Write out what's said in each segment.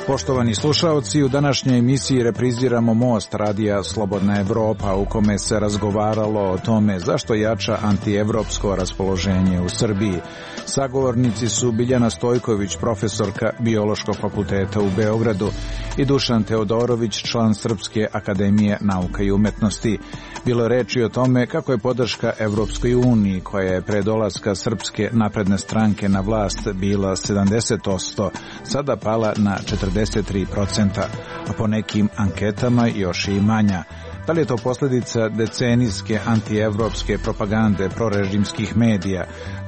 Poštovani slušaoci, u današnjoj emisiji repriziramo Most radija Slobodna Evropa, u kome se razgovaralo o tome zašto jača antievropsko raspoloženje u Srbiji. Sagovornici su Biljana Stojković, profesorka Biološkog fakulteta u Beogradu, i Dušan Teodorović, član Srpske akademije nauka i umetnosti. Bilo je reči o tome kako je podrška Evropskoj uniji, koja je pre dolaska Srpske napredne stranke na vlast bila 70%, sada pala na 43%, a po nekim anketama još i manja. Da li je to posljedica decenijske antievropske propagande prorežimskih medija,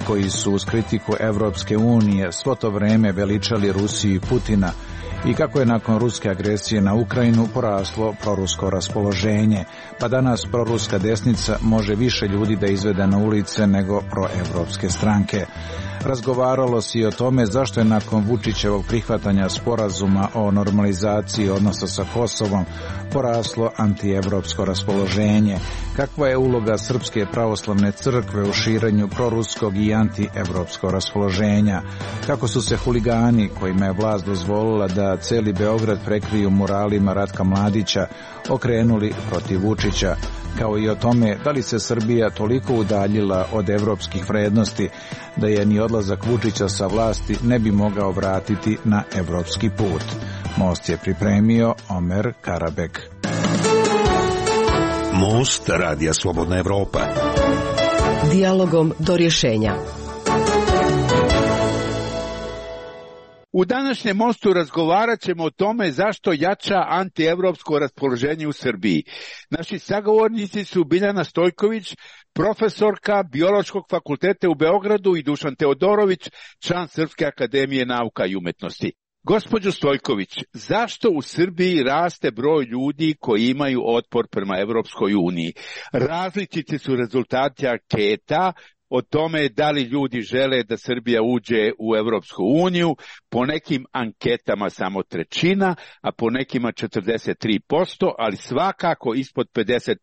koji su uz kritiku Evropske unije svo to vreme veličali Rusiju i Putina, i kako je nakon ruske agresije na Ukrajinu poraslo prorusko raspoloženje, pa danas proruska desnica može više ljudi da izvede na ulice nego proevropske stranke. Razgovaralo se i o tome zašto je nakon Vučićevog prihvatanja sporazuma o normalizaciji odnosa sa Kosovom poraslo antievropsko raspoloženje, kakva je uloga Srpske pravoslavne crkve u širenju proruskog i antievropskog raspoloženja, kako su se huligani, kojima je vlast dozvolila da celi Beograd prekriju muralima Ratka Mladića, okrenuli protiv Vučića, kao i o tome da li se Srbija toliko udaljila od evropskih vrednosti da je ni odlazak Vučića sa vlasti ne bi mogao vratiti na evropski put. Most je pripremio Omer Karabek. Most radija Slobodna Evropa. Dijalogom do rješenja. U današnjem Mostu razgovarat ćemo o tome zašto jača antievropsko raspoloženje u Srbiji. Naši sagovornici su Biljana Stojković, profesorka Biološkog fakulteta u Beogradu, i Dušan Teodorović, član Srpske akademije nauka i umetnosti. Gospođo Stojković, zašto u Srbiji raste broj ljudi koji imaju otpor prema Evropskoj uniji? Različiti su rezultati anketa o tome da li ljudi žele da Srbija uđe u Evropsku uniju, po nekim anketama samo trećina, a po nekima 43%, ali svakako ispod 50%.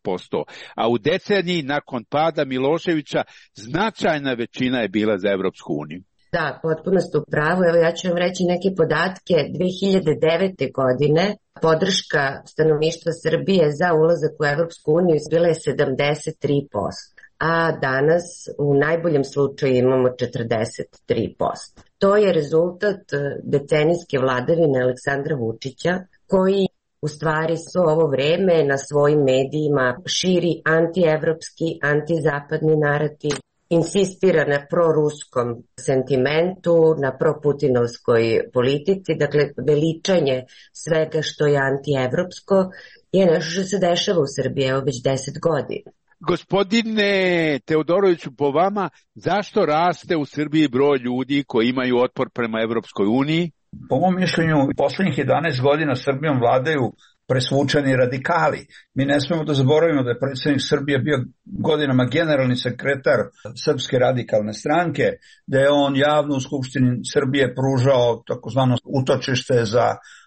A u deceniji nakon pada Miloševića značajna većina je bila za Evropsku uniju. Da, potpuno ste u pravu. Evo, ja ću vam reći neke podatke. 2009. godine podrška stanovništva Srbije za ulazak u Evropsku uniju bila je 73%, a danas u najboljem slučaju imamo 43%. To je rezultat decenijske vladavine Aleksandra Vučića, koji u stvari svo ovo vreme na svojim medijima širi antievropski, antizapadni narativ, insistira na proruskom sentimentu, na proputinovskoj politici, dakle veličanje svega što je antievropsko je nešto što se dešava u Srbiji evo već 10 godina. Gospodine Teodoroviću, po vama, zašto raste u Srbiji broj ljudi koji imaju otpor prema Evropskoj uniji? Po mom mišljenju, poslednjih 11 godina Srbijom vladaju presvučeni radikali. Mi ne smemo da zaboravimo da je predsjednik Srbije bio godinama generalni sekretar Srpske radikalne stranke, da je on javno u Skupštini Srbije pružao takozvano utočište za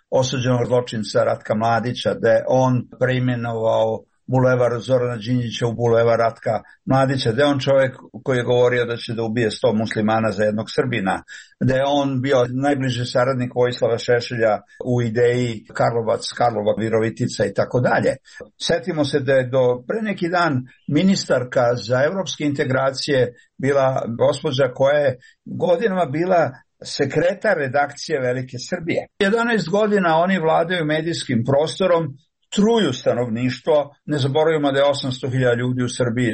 osuđenog zločinca Ratka Mladića, da je on preimenovao bulevar Zorana Đinđića u bulevar Ratka Mladića, da je on čovjek koji je govorio da će da ubije 100 muslimana za jednog Srbina, da je on bio najbliži saradnik Vojislava Šešelja u ideji Karlova, Virovitica i tako dalje. Setimo se da je do pre neki dan ministarka za evropske integracije bila gospođa koja je godinama bila sekretar redakcije Velike Srbije. 11 godina oni vladaju medijskim prostorom, truju stanovništvo, ne zaboravimo da je 800.000 ljudi u Srbiji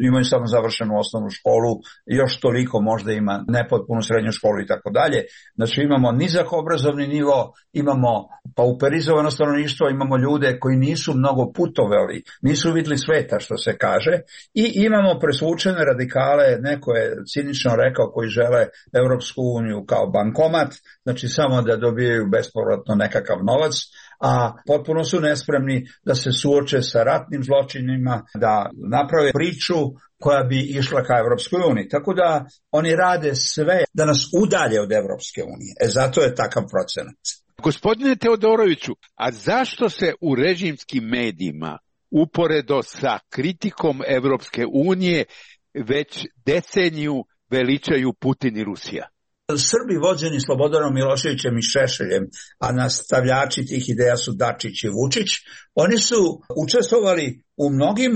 imaju samo završenu osnovnu školu, još toliko možda ima nepotpunu srednju školu i tako dalje. Znači imamo nizak obrazovni nivo, imamo pauperizovano stanovništvo, imamo ljude koji nisu mnogo putovali, nisu vidjeli sveta što se kaže, i imamo presvučene radikale, neko je cinično rekao, koji žele Evropsku uniju kao bankomat, znači samo da dobijaju bespovratno nekakav novac, a potpuno su nespremni da se suoče sa ratnim zločinima, da naprave priču koja bi išla ka Evropskoj uniji. Tako da oni rade sve da nas udalje od Evropske unije. Zato je takav procenat. Gospodine Teodoroviću, a zašto se u režimskim medijima uporedo sa kritikom Evropske unije već deceniju veličaju Putin i Rusija. Srbi vođeni Slobodanom Miloševićem i Šešeljem, a nastavljači tih ideja su Dačić i Vučić, oni su učestvovali u mnogim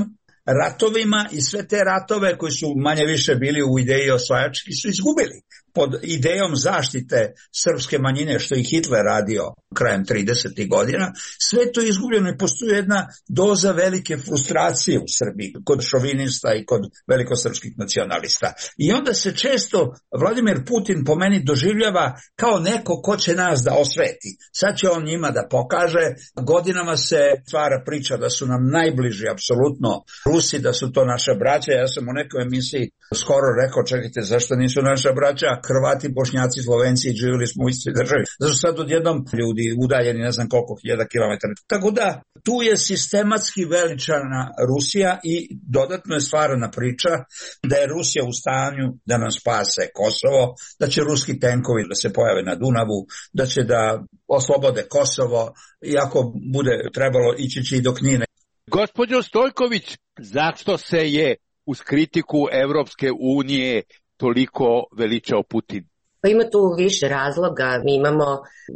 ratovima i sve te ratove koji su manje više bili u ideji osvajački su izgubili. Pod idejom zaštite srpske manjine, što je Hitler radio krajem 30. godina, sve to je izgubljeno i postoji jedna doza velike frustracije u Srbiji kod šovinista i kod velikosrpskih nacionalista. I onda se često Vladimir Putin po meni doživljava kao neko ko će nas da osveti. Sad će on njima da pokaže. Godinama se stvara priča da su nam najbliži apsolutno Rusi, da su to naša braća. Ja sam u nekoj emisiji skoro rekao, čekajte, zašto nisu naša braća? Hrvati, Bošnjaci, Slovenci, živjeli smo u istoj državi. Zašto sad odjednom ljudi udaljeni ne znam koliko hiljada kilometara. Tako da tu je sistematski veličana Rusija i dodatno je stvarana priča da je Rusija u stanju da nam spase Kosovo, da će ruski tenkovi da se pojave na Dunavu, da će da oslobode Kosovo, iako bude trebalo ići će i do Knina. Gospođo Stojković, zašto se je uz kritiku Evropske unije toliko veličao Putin? Ima tu više razloga. Mi imamo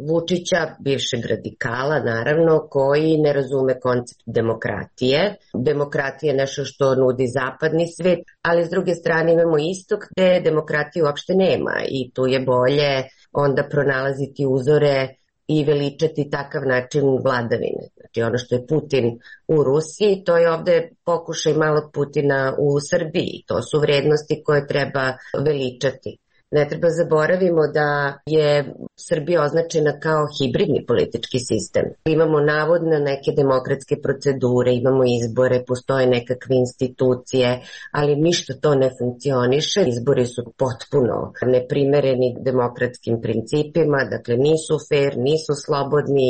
Vučića, bivšeg radikala, naravno, koji ne razume koncept demokratije. Demokratija je nešto što nudi zapadni svet, ali s druge strane imamo istok gde demokratije uopšte nema i tu je bolje onda pronalaziti uzore i veličati takav način vladavine. Znači ono što je Putin u Rusiji, to je ovde pokušaj malog Putina u Srbiji. To su vrednosti koje treba veličati. Ne treba zaboravimo da je Srbija označena kao hibridni politički sistem. Imamo navodno neke demokratske procedure, imamo izbore, postoje nekakve institucije, ali ništa to ne funkcioniše. Izbori su potpuno neprimereni demokratskim principima, dakle nisu fair, nisu slobodni,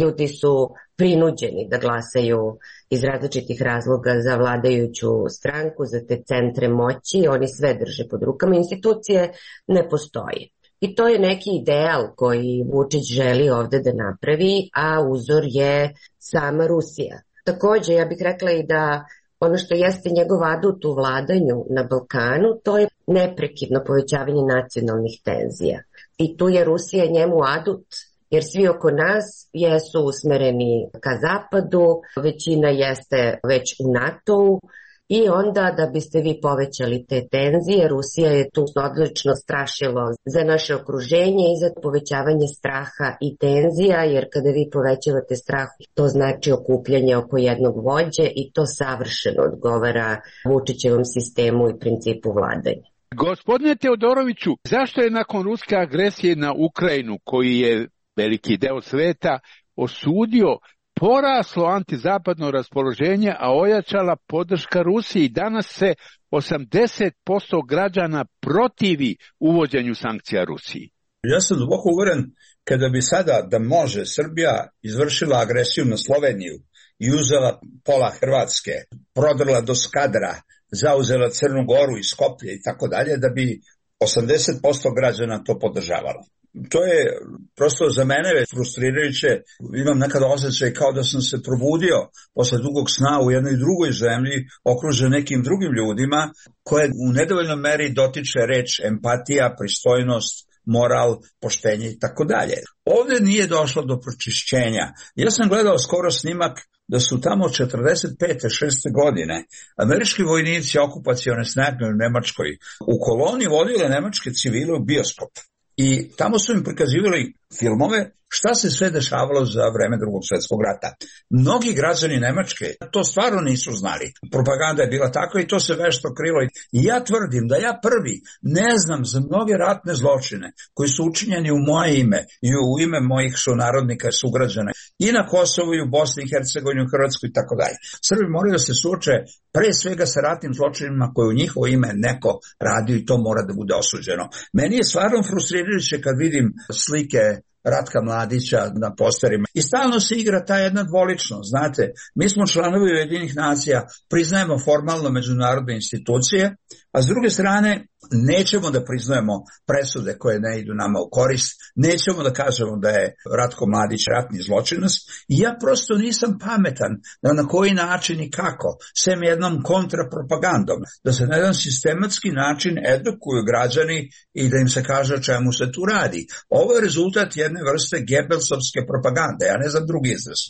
ljudi su prinuđeni da glasaju iz različitih razloga za vladajuću stranku, za te centre moći, oni sve drže pod rukama, institucije ne postoje. I to je neki ideal koji Vučić želi ovde da napravi, a uzor je sama Rusija. Takođe, ja bih rekla i da ono što jeste njegov adut u vladanju na Balkanu, to je neprekidno povećavanje nacionalnih tenzija. I tu je Rusija njemu adut, jer svi oko nas jesu usmereni ka zapadu, većina jeste već u NATO-u i onda da biste vi povećali te tenzije, Rusija je tu odlično strašilo za naše okruženje i za povećavanje straha i tenzija, jer kada vi povećavate strah, to znači okupljanje oko jednog vođe i to savršeno odgovara Vučićevom sistemu i principu vladanja. Gospodine Teodoroviću, zašto je nakon ruske agresije na Ukrajinu, koji je veliki deo sveta osudio, poraslo antizapadno raspoloženje, a ojačala podrška Rusiji? Danas se 80% građana protivi uvođenju sankcija Rusiji. Ja sam duboko uveren kada bi sada da može Srbija izvršila agresiju na Sloveniju i uzela pola Hrvatske, prodrla do Skadra, zauzela Crnu Goru i Skoplje i tako dalje, da bi 80% građana to podržavalo. To je prosto za mene frustrirajuće. Imam nekada osjećaj kao da sam se probudio posle dugog sna u jednoj drugoj zemlji, okružen nekim drugim ljudima, koje u nedovoljnoj meri dotiče reč empatija, pristojnost, moral, poštenje i tako dalje. Ovde nije došlo do pročišćenja. Ja sam gledao skoro snimak da su tamo 45. 6. godine američki vojnici okupacione snage u Nemačkoj u koloni vodile nemačke civile u bioskop. I tamo su im prikazivali filmove šta se sve dešavalo za vreme Drugog svjetskog rata. Mnogi građani Nemačke to stvarno nisu znali. Propaganda je bila takva i to se vešto krilo. I ja tvrdim da ja prvi ne znam za mnoge ratne zločine koji su učinjeni u moje ime i u ime mojih sunarodnika i sugrađana i na Kosovu i u Bosni i Hercegovini, u Hrvatskoj i tako dalje. Srbi moraju da se suoče pre svega sa ratnim zločinima koje u njihovo ime neko radio i to mora da bude osuđeno. Meni je stvarno frustrirajuće kad vidim slike Ratka Mladića na posterima. I stalno se igra ta jedna dvoličnost, znate, mi smo članovi Ujedinjenih nacija, priznajemo formalno međunarodne institucije, a s druge strane nećemo da priznajemo presude koje ne idu nama u korist, nećemo da kažemo da je Ratko Mladić ratni zločinac i ja prosto nisam pametan da na koji način i kako, sem jednom kontrapropagandom, da se na jedan sistematski način edukuju građani i da im se kaže o čemu se tu radi. Ovo je rezultat jedne vrste Gebelsovske propagande, ja ne znam drugi izraz.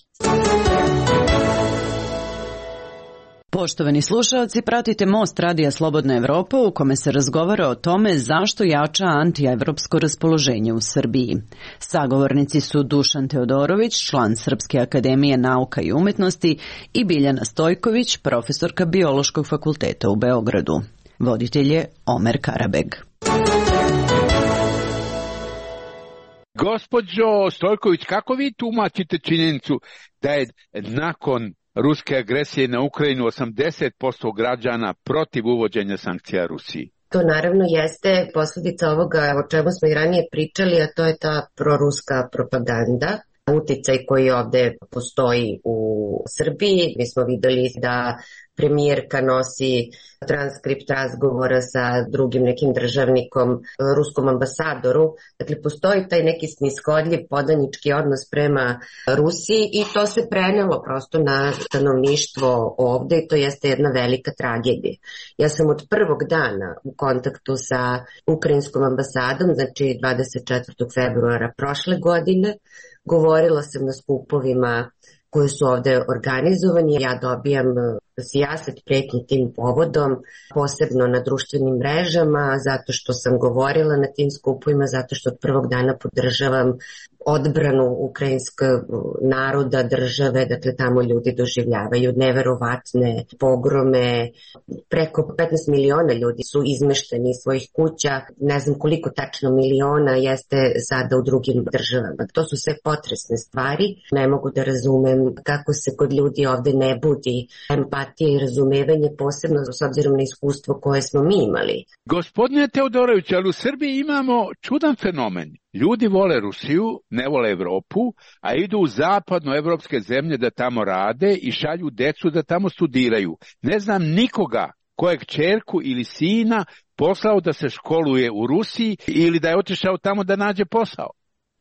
Poštovani slušalci, pratite Most Radija Slobodna Evropa u kome se razgovara o tome zašto jača antievropsko raspoloženje u Srbiji. Sagovornici su Dušan Teodorović, član Srpske akademije nauka i umetnosti, i Biljana Stojković, profesorka Biološkog fakulteta u Beogradu. Voditelj je Omer Karabeg. Gospođo Stojković, kako vi tumačite činjenicu da je nakon ruske agresije na Ukrajinu 80% građana protiv uvođenja sankcija Rusiji? To naravno jeste posljedica ovoga o čemu smo i ranije pričali, a to je ta proruska propaganda, uticaj koji ovde postoji u Srbiji. Mi smo videli da premijerka nosi transkript razgovora sa drugim nekim državnikom, ruskom ambasadoru. Dakle, postoji taj neki snishodljiv podanički odnos prema Rusiji i to se prenelo prosto na stanovništvo ovde i to jeste jedna velika tragedija. Ja sam od prvog dana u kontaktu sa ukrajinskom ambasadom, znači 24. februara prošle godine, govorila sam na skupovima koji su ovde organizovani. Ja dobijam sijaset pretnji tim povodom, posebno na društvenim mrežama, zato što sam govorila na tim skupovima, zato što od prvog dana podržavam odbranu ukrajinskog naroda, države, dakle tamo ljudi doživljavaju neverovatne pogrome, preko 15 miliona ljudi su izmešteni iz svojih kuća, ne znam koliko tačno miliona jeste sada u drugim državama. To su sve potresne stvari, ne mogu da razumem kako se kod ljudi ovde ne budi empatija i razumevanje, posebno s obzirom na iskustvo koje smo mi imali. Gospodine Teodorović, ali u Srbiji imamo čudan fenomen. Ljudi vole Rusiju, ne vole Evropu, a idu u zapadnoevropske zemlje da tamo rade i šalju decu da tamo studiraju. Ne znam nikoga kojeg kćerku ili sina poslao da se školuje u Rusiji ili da je otišao tamo da nađe posao.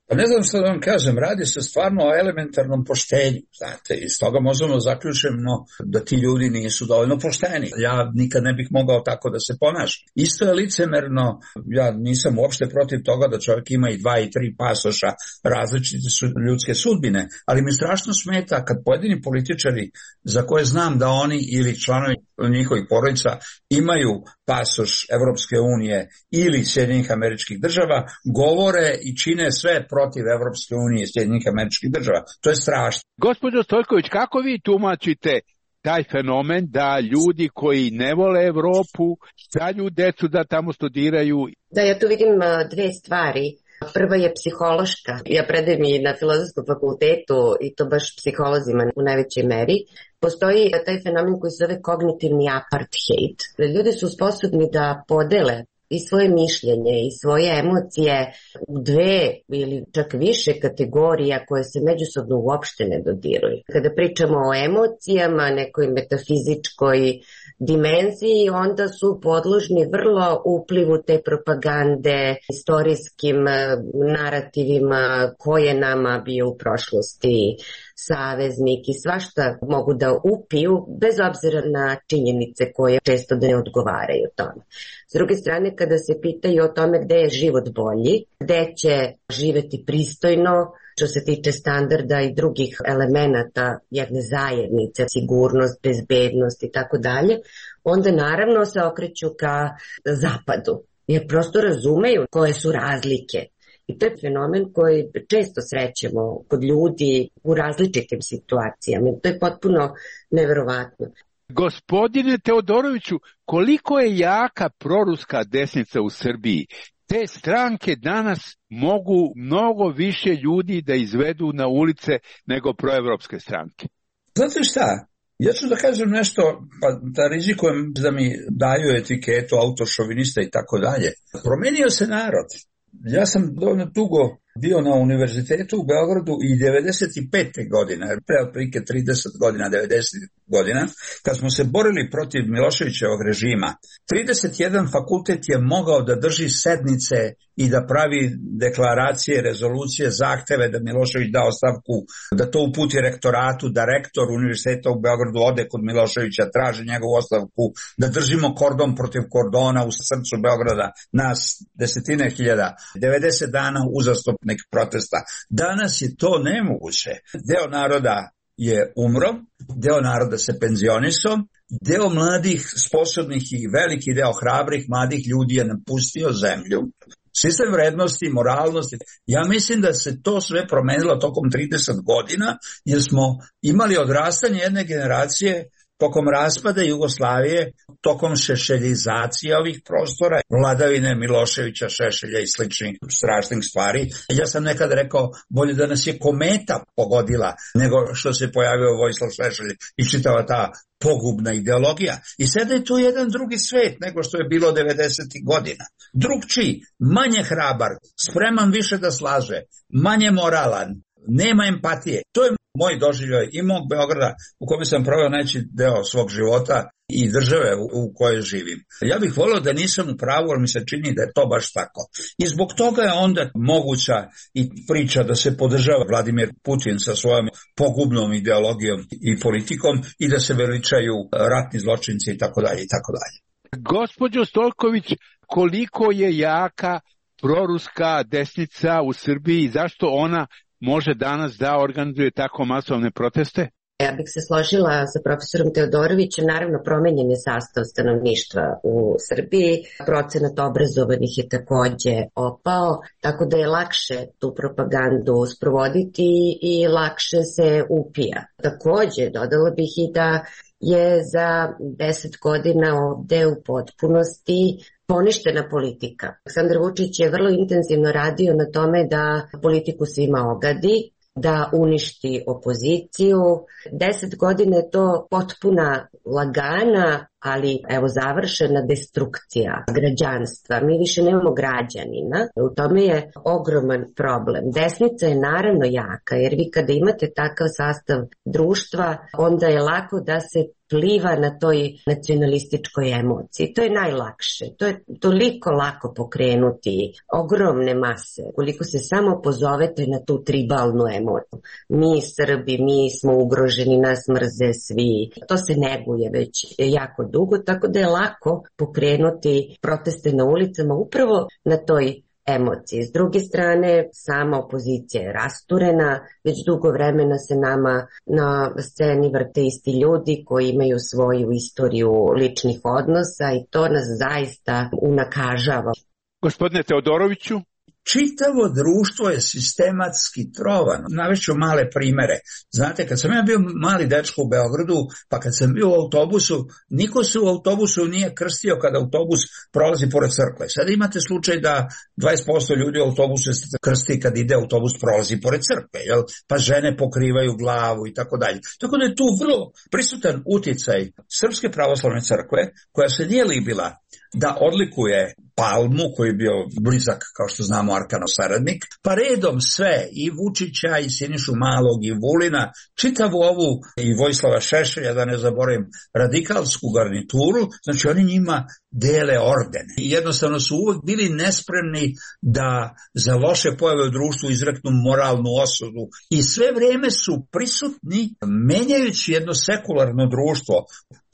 Pa ne znam što da vam kažem, radi se stvarno o elementarnom poštenju, znate, iz toga možemo zaključiti da ti ljudi nisu dovoljno pošteni. Ja nikad ne bih mogao tako da se ponašam. Isto je licemerno, ja nisam uopšte protiv toga da čovjek ima i 2 i 3 pasoša, različite su ljudske sudbine, ali mi strašno smeta kad pojedini političari za koje znam da oni ili članovi njihovih porodica imaju pasoš Evropske unije ili Sjedinjenih Američkih Država, govore i čine sve protiv Evropske unije i Sjedinjenih Američkih Država. To je strašno. Gospođo Stojković, kako vi tumačite taj fenomen da ljudi koji ne vole Evropu šalju decu da tamo studiraju? Da, ja tu vidim dve stvari. Prva je psihološka. Ja predajem i na Filozofskom fakultetu i to baš psiholozima u najvećoj meri. Postoji taj fenomen koji se zove kognitivni apartheid. Ljudi su sposobni da podele i svoje mišljenje i svoje emocije u 2 ili čak više kategorija koje se međusobno uopšte ne dodiruju. Kada pričamo o emocijama, nekoj metafizičkoj dimenziji, onda su podložni vrlo uplivu te propagande, istorijskim narativima koje nama bio u prošlosti saveznik i svašta mogu da upiju bez obzira na činjenice koje često ne odgovaraju tome. S druge strane, kada se pitaju o tome gde je život bolji, gde će živeti pristojno, što se tiče standarda i drugih elemenata jedne zajednice, sigurnost, bezbednost i tako dalje, onda naravno se okreću ka zapadu, jer prosto razumeju koje su razlike. I to je fenomen koji često srećemo kod ljudi u različitim situacijama. To je potpuno neverovatno. Gospodine Teodoroviću, koliko je jaka proruska desnica u Srbiji? Te stranke danas mogu mnogo više ljudi da izvedu na ulice nego proevropske stranke. Znate šta? Ja ću da kažem nešto, pa da rizikujem da mi daju etiketu autošovinista i tako dalje. Promenio se narod. Ja sam dovoljno dugo bio na univerzitetu u Beogradu i 95. godine, pre otprilike 30 godina, 90 godina, kad smo se borili protiv Miloševićevog režima, 31 fakultet je mogao da drži sednice i da pravi deklaracije, rezolucije, zahteve da Milošević da ostavku, da to uputi rektoratu, da rektor univerziteta u Beogradu ode kod Miloševića, traži njegovu ostavku, da držimo kordon protiv kordona u srcu Beograda, nas desetine hiljada, 90 dana uzastopnih protesta. Danas je to nemoguće. Deo naroda je umro, deo naroda se penzionisao, deo mladih, sposobnih i veliki deo hrabrih mladih ljudi je napustio zemlju. Sistem vrednosti, moralnosti, ja mislim da se to sve promenilo tokom 30 godina, jer smo imali odrastanje jedne generacije tokom raspada Jugoslavije, tokom šešeljizacije ovih prostora, vladavine Miloševića, Šešelja i sličnih strašnih stvari. Ja sam nekad rekao, bolje da nas je kometa pogodila nego što se pojavio Vojislav Šešelj i čitava ta pogubna ideologija. I sada je tu jedan drugi svet nego što je bilo 90. godina. Drugčiji, manje hrabar, spreman više da slaže, manje moralan, nema empatije. To je moj doživljaj i mog Beograda u kome sam proveo najveći deo svog života i države u kojoj živim. Ja bih volio da nisam u pravu, ali mi se čini da je to baš tako. I zbog toga je onda moguća i priča da se podržava Vladimir Putin sa svojom pogubnom ideologijom i politikom i da se veličaju ratni zločinci i tako dalje i tako dalje. Gospođo Stolković, koliko je jaka proruska desnica u Srbiji i zašto ona može danas da organizuje tako masovne proteste? Ja bih se složila sa profesorom Teodorovićem, naravno promenjen je sastav stanovništva u Srbiji, procenat obrazovanih je takođe opao, tako da je lakše tu propagandu sprovoditi i lakše se upija. Takođe, dodala bih i da je za 10 godina ovde u potpunosti poništena politika. Aleksandar Vučić je vrlo intenzivno radio na tome da politiku svima ogadi, da uništi opoziciju. 10 godina je to potpuna lagana, ali evo završena destrukcija građanstva. Mi više nemamo građanina. U tome je ogroman problem. Desnica je naravno jaka, jer vi kada imate takav sastav društva, onda je lako da se pliva na toj nacionalističkoj emociji. To je najlakše. To je toliko lako pokrenuti ogromne mase, koliko se samo pozovete na tu tribalnu emociju. Mi Srbi, mi smo ugroženi, nas mrze svi. To se neguje već jako dugo, tako da je lako pokrenuti proteste na ulicama upravo na toj emocije. S druge strane, sama opozicija je rasturena, već dugo vremena se nama na sceni vrte isti ljudi koji imaju svoju istoriju ličnih odnosa i to nas zaista unakažava. Gospodine Teodoroviću? Čitavo društvo je sistematski trovano. Navešću male primere. Znate, kad sam ja bio mali dečko u Beogradu, pa kad sam bio u autobusu, niko se u autobusu nije krstio kada autobus prolazi pored crkve. Sad imate slučaj da 20% ljudi u autobusu se krsti kad ide autobus prolazi pored crkve, jel? Pa žene pokrivaju glavu i tako dalje. Tako da je tu vrlo prisutan uticaj Srpske pravoslavne crkve, koja se nije libila da odlikuje Palmu, koji je bio blizak, kao što znamo, Arkanov saradnik, pa redom sve, i Vučića, i Sinišu Malog, i Vulina, čitavu ovu, i Vojislava Šešelja, da ne zaboravim, radikalsku garnituru, znači oni njima dele ordene. I jednostavno su uvek bili nespremni da za loše pojave u društvu izreknu moralnu osudu. I sve vreme su prisutni, menjajući jedno sekularno društvo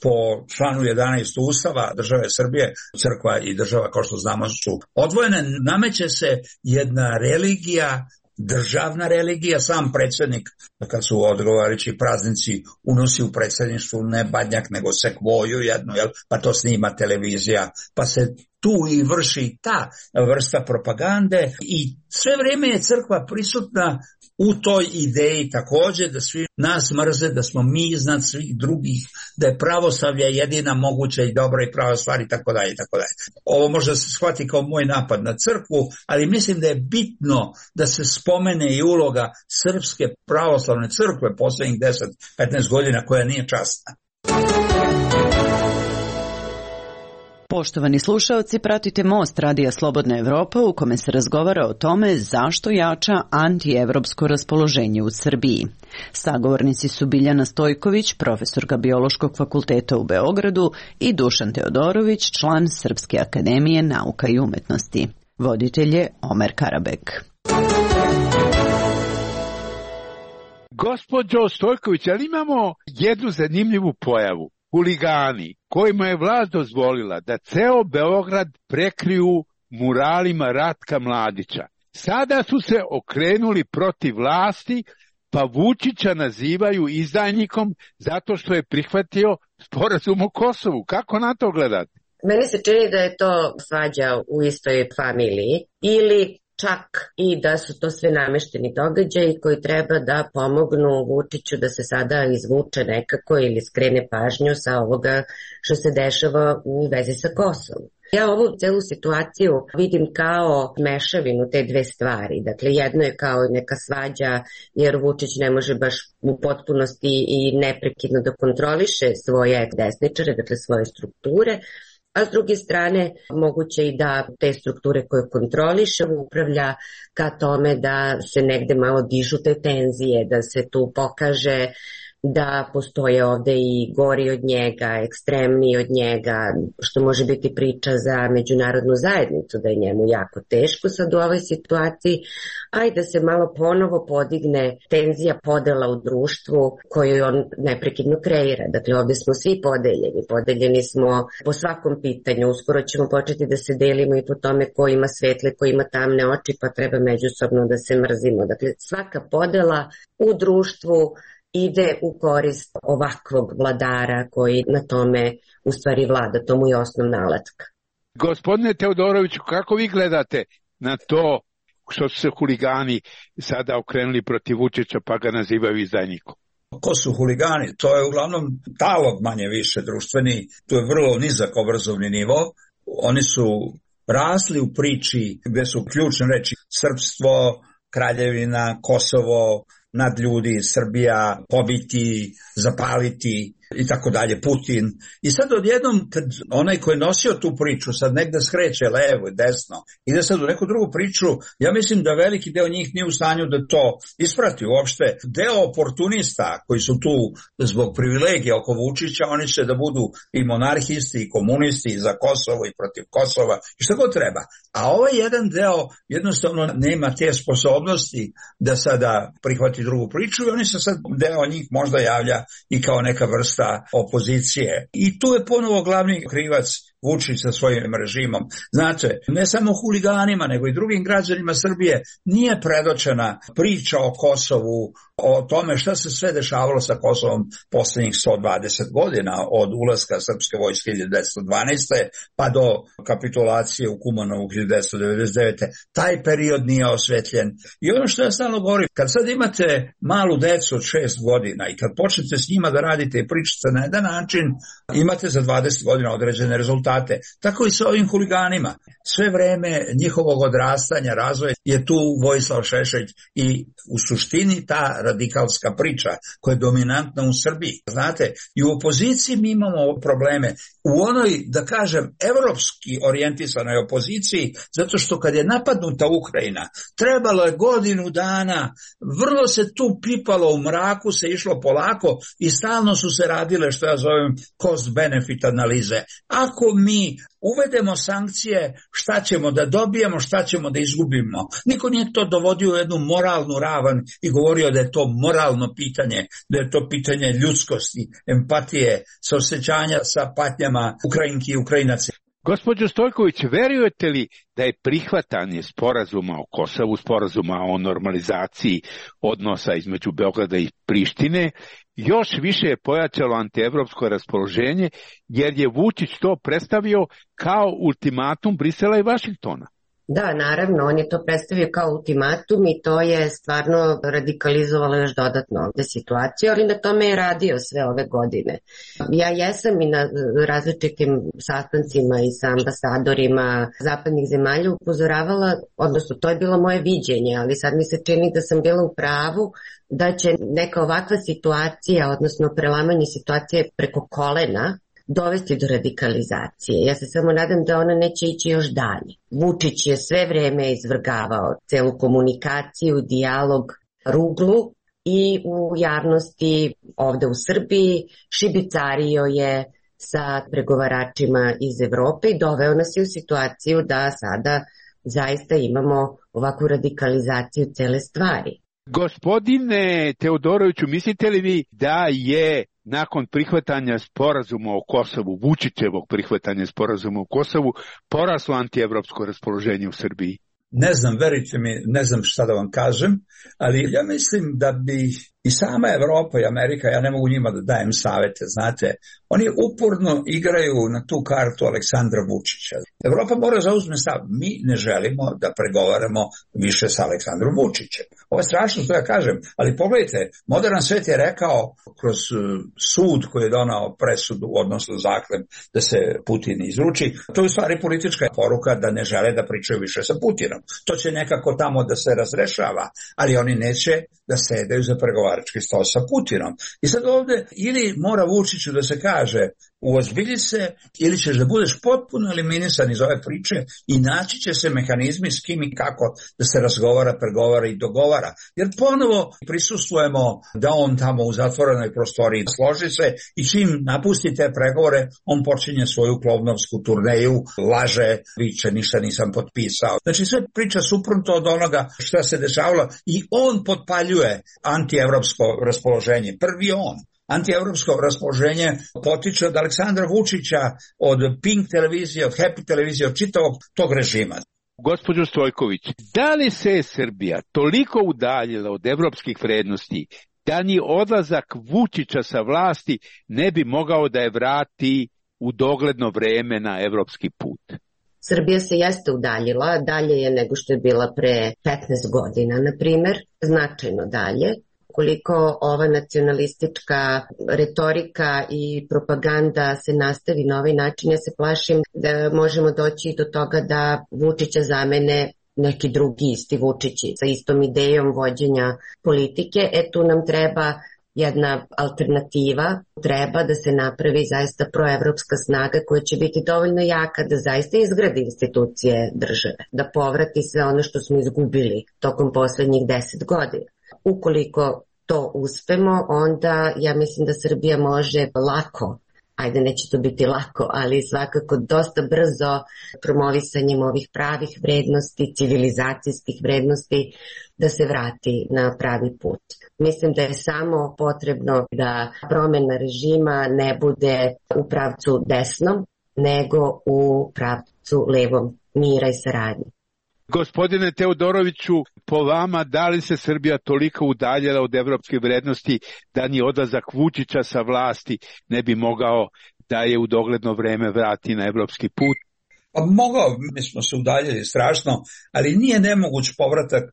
po članu 11 Ustava države Srbije, crkva i država, kao što znamo, su odvojene. Nameće se jedna religija, državna religija. Sam predsjednik, kad su odgovarajući praznici, unosi u predsjedništvu ne badnjak, nego sekvoju jednu, jel? Pa to snima televizija, pa se tu i vrši ta vrsta propagande i sve vrijeme je crkva prisutna u toj ideji također da svi nas mrze, da smo mi iznad svih drugih, da je pravoslavlje jedina moguća i dobra i prava stvar i tako dalje i tako dalje. Ovo možda se shvati kao moj napad na crkvu, ali mislim da je bitno da se spomene i uloga Srpske pravoslavne crkve posljednjih 10-15 godina koja nije časna. Poštovani slušaoci, pratite Most Radija Slobodna Evropa u kome se razgovara o tome zašto jača antievropsko raspoloženje u Srbiji. Sagovornici su Biljana Stojković, profesorka Biološkog fakulteta u Beogradu, i Dušan Teodorović, član Srpske akademije nauka i umetnosti. Voditelj je Omer Karabek. Gospođo Stojković, ali imamo jednu zanimljivu pojavu. Huligani kojima je vlast dozvolila da ceo Beograd prekriju muralima Ratka Mladića. Sada su se okrenuli protiv vlasti, pa Vučića nazivaju izdajnikom zato što je prihvatio sporazum o Kosovu. Kako na to gledate? Meni se čini da je to svađa u istoj familiji ili čak i da su to sve namešteni događaji koji treba da pomognu Vučiću da se sada izvuče nekako ili skrene pažnju sa ovoga što se dešava u vezi sa Kosovom. Ja ovu celu situaciju vidim kao mešavinu te dve stvari. Dakle, jedno je kao neka svađa jer Vučić ne može baš u potpunosti i neprekidno da kontroliše svoje desničare, dakle svoje strukture, a s druge strane moguće i da te strukture koje kontroliše upravlja ka tome da se negde malo dižu te tenzije, da se tu pokaže da postoje ovde i gori od njega, ekstremniji od njega, što može biti priča za međunarodnu zajednicu, da je njemu jako teško sad u ovoj situaciji, a i da se malo ponovo podigne tenzija podela u društvu koju on neprekidno kreira. Dakle, ovde smo svi podeljeni smo po svakom pitanju, uskoro ćemo početi da se delimo i po tome ko ima svetle, ko ima tamne oči, pa treba međusobno da se mrzimo. Dakle, svaka podela u društvu ide u korist ovakvog vladara koji na tome u stvari vlada, to mu je osnovna alatka. Gospodine Teodoroviću, kako vi gledate na to što su se huligani sada okrenuli protiv Vučića pa ga nazivaju izdajnikom? Ko su huligani? To je uglavnom talog manje više društveni, to je vrlo nizak obrazovni nivo. Oni su rasli u priči gde su ključne reči srpstvo, kraljevina, Kosovo, nadljudi, Srbija, pobiti, zapaliti i tako dalje, Putin. I sad odjednom, kad onaj ko je nosio tu priču sad negde skreće levo i desno, ide sad u neku drugu priču, ja mislim da veliki deo njih nije u stanju da to isprati uopšte. Deo oportunista koji su tu zbog privilegija oko Vučića, oni će da budu i monarhisti i komunisti i za Kosovo i protiv Kosova i šta god treba. A ovaj jedan deo jednostavno nema te sposobnosti da sada prihvati drugu priču i oni se sad, deo njih možda javlja i kao neka vrsta opozicije. I tu je ponovo glavni krivac Vučić sa svojim režimom. Znate, ne samo huliganima, nego i drugim građanima Srbije nije predočena priča o Kosovu, o tome šta se sve dešavalo sa Kosovom poslednjih 120 godina, od ulaska srpske vojske 1912. pa do kapitulacije u Kumanovu 1999. Taj period nije osvetljen. I ono što ja stalno govorim, kad sad imate malu decu od 6 godina i kad počnete s njima da radite i pričate na jedan način, imate za 20 godina određene rezultate. Tako i sa ovim huliganima. Sve vreme njihovog odrastanja, razvoja je tu Vojislav Šešelj i u suštini ta radikalska priča koja je dominantna u Srbiji. Znate, i u opoziciji mi imamo probleme. U onoj, da kažem, evropski orijentisanoj opoziciji, zato što kad je napadnuta Ukrajina, trebalo je godinu dana, vrlo se tu pipalo u mraku, se išlo polako i stalno su se radile, što ja zovem, cost-benefit analize. Ako mi uvedemo sankcije, šta ćemo da dobijemo, šta ćemo da izgubimo. Niko nije to dovodio u jednu moralnu ravan i govorio da je to moralno pitanje, da je to pitanje ljudskosti, empatije, saosećanja sa patnjama Ukrajinki i Ukrajinaca. Gospođo Stojković, verujete li da je prihvatanje sporazuma o Kosovu, sporazuma o normalizaciji odnosa između Beograda i Prištine, još više je pojačalo antievropsko raspoloženje, jer je Vučić to predstavio kao ultimatum Brisela i Vašingtona? Da, naravno, on je to predstavio kao ultimatum i to je stvarno radikalizovalo još dodatno ovde situaciju, ali na tome je radio sve ove godine. Ja jesam i na različitim sastancima i sa ambasadorima zapadnih zemalja upozoravala, odnosno to je bilo moje viđenje, ali sad mi se čini da sam bila u pravu da će neka ovakva situacija, odnosno prelamanje situacije preko kolena, dovesti do radikalizacije. Ja se samo nadam da ona neće ići još dalje. Vučić je sve vreme izvrgavao celu komunikaciju, dijalog, ruglu i u javnosti ovde u Srbiji šibicario je sa pregovaračima iz Evrope i doveo nas je u situaciju da sada zaista imamo ovakvu radikalizaciju cele stvari. Gospodine Teodoroviću, mislite li vi da je nakon prihvatanja sporazuma o Kosovu, Vučićevog prihvatanja sporazuma o Kosovu, poraslo antievropsko raspoloženje u Srbiji? Ne znam, verujte mi, ne znam šta da vam kažem, ali ja mislim da bi i sama Evropa i Amerika, ja ne mogu njima da dajem savete, znate, oni uporno igraju na tu kartu Aleksandra Vučića. Evropa mora zauzme stav, mi ne želimo da pregovaramo više sa Aleksandrom Vučićem. Ovo je strašno što ja kažem, ali pogledajte, modern svet je rekao kroz sud koji je donao presudu, odnosno zahtev da se Putin izruči, to je u stvari politička poruka da ne žele da pričaju više sa Putinom. To će nekako tamo da se razrešava, ali oni neće da sedaju za pregovarački stol sa Putinom. I sad ovde ili mora Vučiću da se kaže uozbilji se ili ćeš da budeš potpuno eliminisan iz ove priče i naći će se mehanizmi s kim i kako da se razgovara, pregovara i dogovara. Jer ponovo prisustvujemo da on tamo u zatvorenoj prostoriji složi se i čim napusti te pregovore, on počinje svoju klovnovsku turneju, laže, viče, ništa nisam potpisao. Znači sve priča suprotno od onoga šta se dešavalo i on potpaljuje antievropsko raspoloženje. Prvi on. Antievropsko raspoloženje potiče od Aleksandra Vučića, od Pink televizije, od Happy televizije, od čitavog tog režima. Gospođo Stojković, da li se Srbija toliko udaljila od evropskih vrednosti da ni odlazak Vučića sa vlasti ne bi mogao da je vrati u dogledno vreme na evropski put? Srbija se jeste udaljila, dalje je nego što je bila pre 15 godina, na primer, značajno dalje. Koliko ova nacionalistička retorika i propaganda se nastavi na ovaj način, ja se plašim da možemo doći do toga da Vučića zamene neki drugi isti Vučići sa istom idejom vođenja politike. Tu nam treba jedna alternativa, treba da se napravi zaista proevropska snaga koja će biti dovoljno jaka da zaista izgradi institucije države, da povrati sve ono što smo izgubili tokom poslednjih 10 godina. Ukoliko to uspemo, onda ja mislim da Srbija može lako, ajde neće to biti lako, ali svakako dosta brzo promovisanjem ovih pravih vrednosti, civilizacijskih vrednosti, da se vrati na pravi put. Mislim da je samo potrebno da promena režima ne bude u pravcu desnom, nego u pravcu levom, mira i saradnje. Gospodine Teodoroviću, po vama, da li se Srbija toliko udaljila od evropske vrednosti da ni odlazak Vučića sa vlasti ne bi mogao da je u dogledno vreme vrati na evropski put? Pa mogao, mi smo se udaljili strašno, ali nije nemoguć povratak.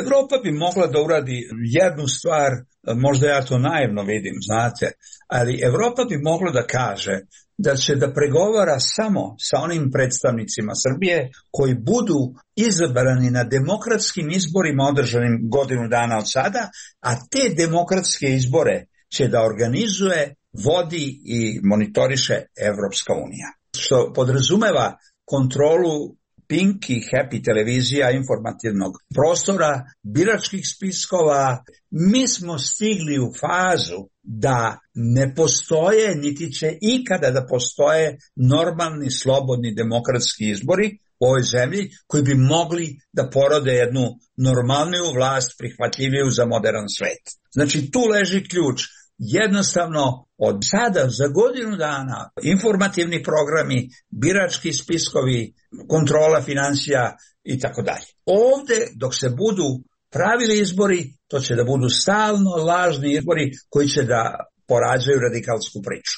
Evropa bi mogla da uradi jednu stvar, možda ja to naivno vidim, znate, ali Evropa bi mogla da kaže da će da pregovara samo sa onim predstavnicima Srbije koji budu izabrani na demokratskim izborima održanim godinu dana od sada, a te demokratske izbore će da organizuje, vodi i monitoriše Evropska unija. Što podrazumeva kontrolu Pink i Happy televizija, informativnog prostora, biračkih spiskova. Mi smo stigli u fazu da ne postoje, niti će ikada da postoje normalni, slobodni demokratski izbori u ovoj zemlji koji bi mogli da porode jednu normalniju vlast prihvatljiviju za modern svet. Znači tu leži ključ. Jednostavno od sada za godinu dana informativni programi, birački spiskovi, kontrola financija i tako dalje. Ovde dok se budu pravili izbori, to će da budu stalno lažni izbori koji će da porađaju radikalsku priču.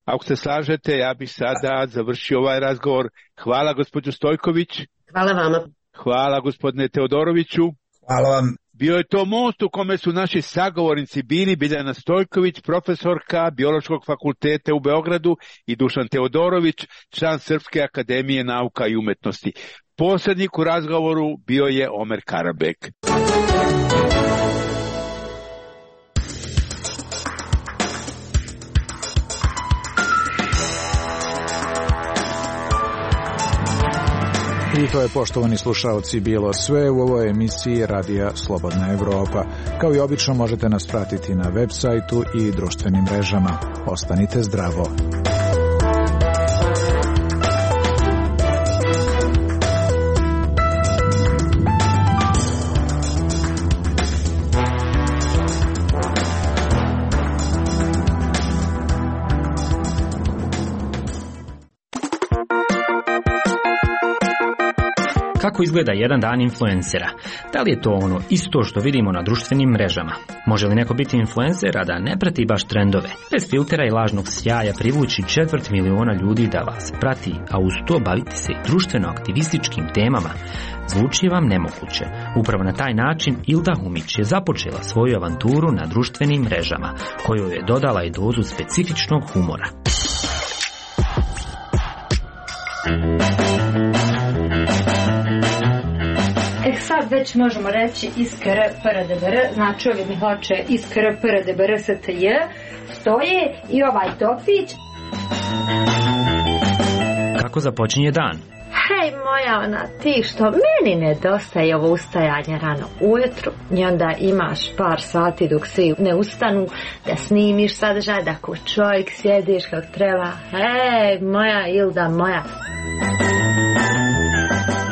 Ako se slažete, ja bih sada završio ovaj razgovor. Hvala gospođo Stojković. Hvala vama. Hvala gospodine Teodoroviću. Hvala vam. Bio je to most u kome su naši sagovornici bili Biljana Stojković, profesorka Biološkog fakulteta u Beogradu, i Dušan Teodorović, član Srpske akademije nauka i umetnosti. Posrednik u razgovoru bio je Omer Karabek. I to je, poštovani slušaoci, bilo sve u ovoj emisiji Radija Slobodna Evropa. Kao i obično možete nas pratiti na web sajtu i društvenim mrežama. Ostanite zdravo. Kako izgleda jedan dan influencera? Da li je to ono isto što vidimo na društvenim mrežama? Može li neko biti influencer, a da ne prati baš trendove? Bez filtera i lažnog sjaja privući 250.000 ljudi da vas prati, a uz to baviti se društveno-aktivističkim temama, zvuči vam nemoguće. Upravo na taj način Ilda Humić je započela svoju avanturu na društvenim mrežama, koju je dodala i dozu specifičnog humora. Sad već možemo reći iskr prdbr, znači ovi mi hoće iskr prdbr stj, stoje i ovaj topić. Kako započinje dan? Hej moja ti što meni nedostaje ovo ustajanje rano ujutru i onda imaš par sati dok svi ne ustanu da snimiš sadržaj, da ko čovjek sjediš kako treba. Hej moja Ilda moja.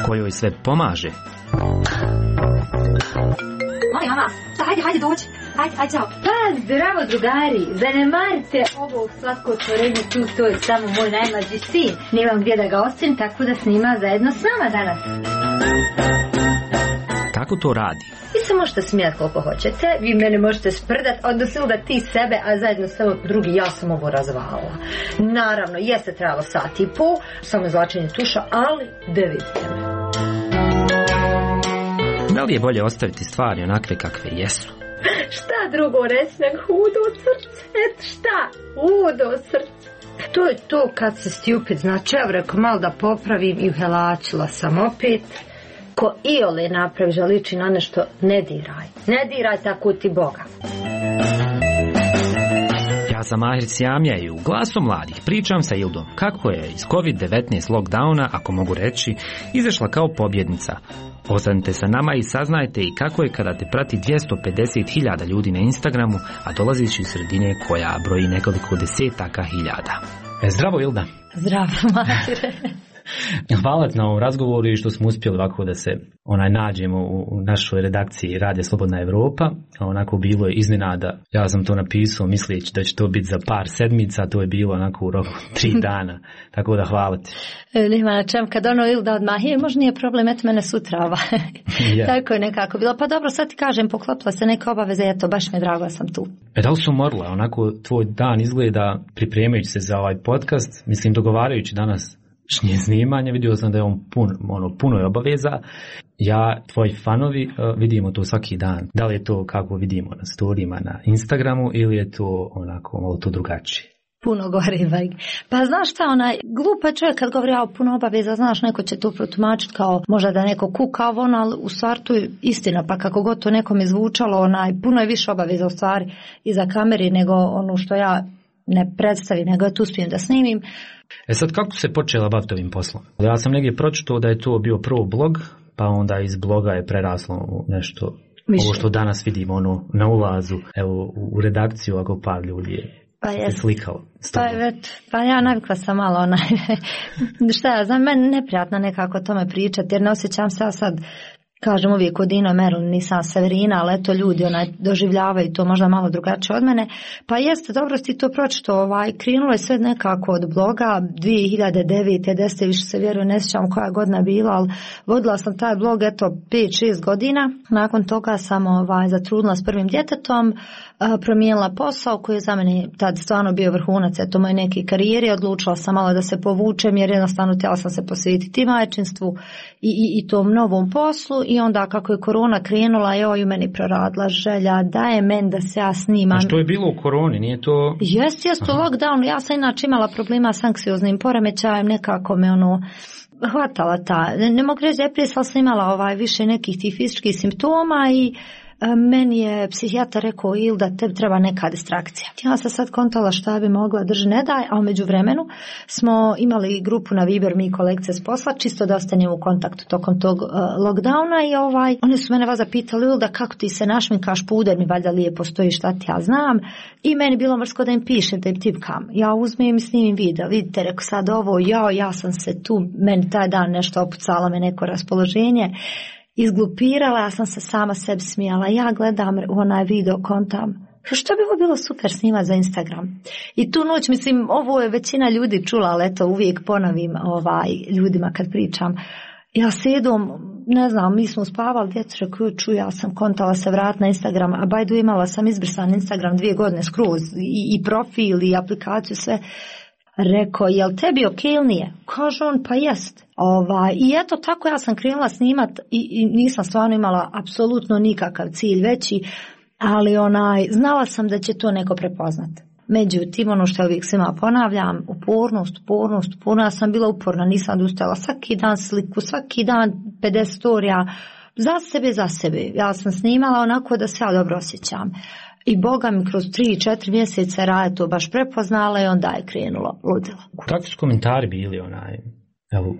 Kojoj sve pomaže? Mama, hajde dođi. Hajde, čao. Pa, zdravo drugari, zanemarite ovo slatko otvorenje tu, to je samo moj najmlađi sin. Nemam gdje da ga ostavim, tako da snima zajedno s nama danas. Kako to radi? Vi se možete smijati koliko hoćete, vi mene možete sprdat, odnosno da ti sebe, a zajedno s tobom drugi, ja sam ovo razvala. Naravno, jeste trebalo sat i pol, samo izvlačenje tuša, ali da vidite me. Da li je bolje ostaviti stvari onakve kakve jesu? Šta drugo reći nego hudo srce? Eto šta? Hudo srce. To je to kad se stupid, znači ja rekao malo da popravim i uhelačila sam opet. Ko iole napravi želiči na nešto, ne diraj. Ne diraj tako ti Boga. Ja sam Mahir Sjamija i u Glasu mladih pričam sa Ildom kako je iz COVID-19 lockdowna, ako mogu reći, izašla kao pobjednica. Ostanite sa nama i saznajte i kako je kada te prati 250.000 ljudi na Instagramu, a dolaziš iz sredine koja broji nekoliko desetaka hiljada. Zdravo Ilda. Zdravo Mahire. Hvala na ovom razgovoru i što smo uspjeli ovako da se nađemo u našoj redakciji Radija Slobodna Evropa. Onako bilo je iznenada. Ja sam to napisao misleći da će to biti za par sedmica, to je bilo onako u roku 3 dana. Tako da hvala ti. Nema na čem, kad Ilda odmah možda nije problem, eto mene sutra ja. Tako je nekako bilo. Pa dobro, sad ti kažem, poklopila se neke obaveze, eto, baš mi je drago da sam tu. Da li su umorila? Onako tvoj dan izgleda pripremajući se za ovaj podcast, mislim dogovarajući danas snimanje, vidio sam da je on puno je obaveza. Ja, tvoji fanovi, vidimo to svaki dan. Da li je to kako vidimo na storijima na Instagramu ili je to onako malo to drugačije? Puno gori, pa znaš šta, glupa je čovjek kad govori puno obaveza, znaš, neko će to protumačiti kao možda da neko kuka, ali u stvari to je istina, pa kako god to nekom je zvučalo, puno je više obaveza u stvari iza kameri nego ono što ja ne predstavim, nego ja tu uspijem da snimim. Sad, kako se počela baviti ovim poslom? Ja sam negdje pročitao da je to bio prvo blog, pa onda iz bloga je preraslo u nešto, ovo što danas vidimo na ulazu, evo u redakciju, ako par ljudi je slikao. Pa ja navikla sam malo šta ja znam, meni neprijatno nekako o tome pričati, jer ne osjećam se ja sad, kažem uvijek od Dino Merlin, nisam Severina, ali eto ljudi doživljavaju to možda malo drugačije od mene. Pa jeste, dobro si to pročito, krenulo je sve nekako od bloga 2009. 10. više se vjerujem, ne sjećam koja godina bila, ali vodila sam taj blog eto 5-6 godina. Nakon toga sam zatrudnila s prvim djetetom, promijenila posao koji je za mene tad stvarno bio vrhunac eto moje neke karijere, odlučila sam malo da se povučem jer jednostavno htjela sam se posvetiti majčinstvu i tom novom poslu. I onda kako je korona krenula, joj, meni proradila želja, daje meni da se ja snimam. A što je bilo u koroni, nije to? Jest u lockdownu, ja sam inače imala problema s anksioznim poremećajem, nekako me hvatala ta, ne mogu reći depresija, ali sam imala više nekih tih fizičkih simptoma i meni je psihijatar rekao Ilda, tebi treba neka distrakcija. Ja sam sad kontala šta bi mogla, drži ne daj, a umeđu vremenu smo imali grupu na Viber, mi kolegice s posla, čisto da ostanemo u kontaktu tokom tog lockdowna i oni su mene vas zapitali, Ilda, kako ti se našminkaš, puder mi valjda lijepo stoji, šta ti ja znam, i meni bilo mrsko da im pišem, da im tipkam. Ja uzmem i snimim video, vidite, rekao sad ovo, ja sam se tu, meni taj dan nešto opucalo me neko raspoloženje, izglupirala, ja sam se sama sebi smijala, ja gledam onaj video, kontam, što bi ovo bilo super snimati za Instagram. I tu noć, mislim, ovo je većina ljudi čula, ali eto, uvijek ponavim ljudima kad pričam. Ja sedom, ne znam, mi smo spavali, djecu rekao, ja sam kontala se vrat na Instagram, a bajdu imala sam izbrisan Instagram 2 godine skroz, i profil, i aplikaciju, sve. Rekao, jel tebi ok ili nije? Kaže on, pa jest. I eto tako ja sam krenula snimat i nisam stvarno imala apsolutno nikakav cilj veći, ali znala sam da će to neko prepoznat. Međutim, ono što ja uvijek svima ponavljam, upornost, ja sam bila uporna, nisam odustala, svaki dan sliku, svaki dan 50 storija, za sebe. Ja sam snimala onako da se ja dobro osjećam. I Boga mi kroz 3-4 mjeseca Raja to baš prepoznala i onda je krenulo ludilo. Kakvi su komentari bili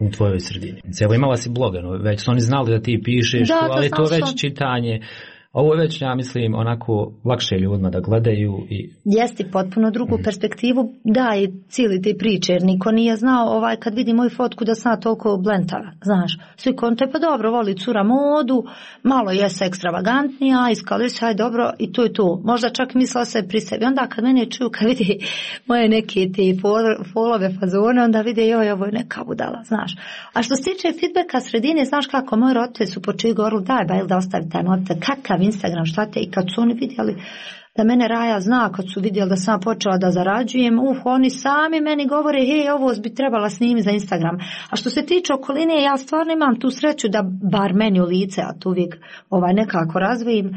u tvojoj sredini? Evo imala si blog, već su oni znali da ti pišeš, ali to već čitanje. Ovo je već, ja mislim, onako lakše ljudima da gledaju. Jesti potpuno drugu perspektivu, da, i cijeli te priče, jer niko nije znao kad vidi moju fotku da sam toliko blentava, znaš. Svi konte, pa dobro, voli cura modu, malo jeste ekstravagantnija, iskali se, aj dobro, i to je to. Možda čak mislila se pri sebi. Onda kad mene čuju, kad vidi moje neke te folove fazone, onda vide, joj, ovo je neka budala, znaš. A što se tiče feedbacka sredine, znaš kako, moji roditelji su počeli govorili, daj, ba, ili da ostavi taj mobitel, kakav Instagram, šta te, i kad su oni vidjeli da mene Raja zna, kad su vidjeli da sam počela da zarađujem, oni sami meni govore, hej, ovo bi trebala snimiti za Instagram. A što se tiče okoline, ja stvarno imam tu sreću da bar meni u lice, a tu uvijek nekako razvijim,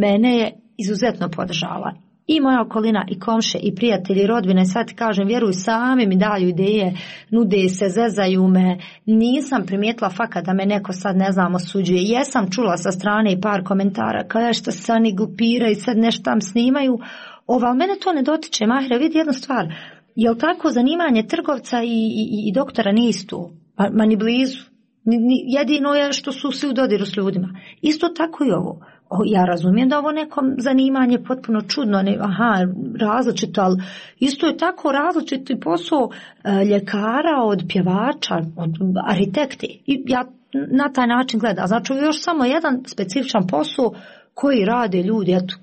mene je izuzetno podržala. I moja okolina, i komše, i prijatelji, i rodbine, sad ti kažem, vjeruj, sami mi daju ideje, nude se, zezaju me, nisam primijetila fakat da me neko sad, ne znam, osuđuje. Jesam čula sa strane i par komentara, kao što se oni glupiraju i sad nešto tam snimaju, ali mene to ne dotiče. Mahira, vidi jednu stvar, jel tako zanimanje trgovca i doktora nije isto, ma ni blizu, jedino je što su svi u dodiru s ljudima. Isto tako i ovo. Ja razumijem da ovo nekom zanimanje potpuno čudno, različito, ali isto je tako različiti posao ljekara od pjevača, od arhitekti. I ja na taj način gledam. Znači, još samo jedan specifičan posao koji rade ljudi, eto,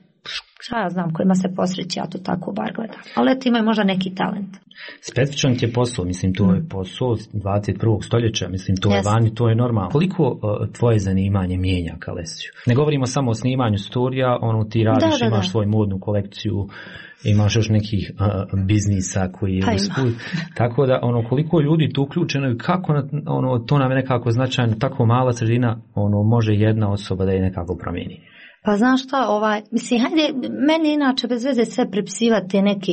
šta ja znam, kojima se posreći, ja to tako bar gledam. Ali eto, imaju možda neki talent. Specifičan ti je posao, mislim, to je posao 21. stoljeća, mislim, to je vani, to je normalno. Koliko tvoje zanimanje mijenja Kalesiju? Ne govorimo samo o snimanju storija, ti radiš, imaš svoju modnu kolekciju, imaš još nekih biznisa koji je usput. Tako da, koliko ljudi tu uključeno i kako, to nam je nekako značajno, tako mala sredina, može jedna osoba da je nekako promijeni. Pa znaš šta, mislim, hajde, meni inače bez veze sve prepisivati neke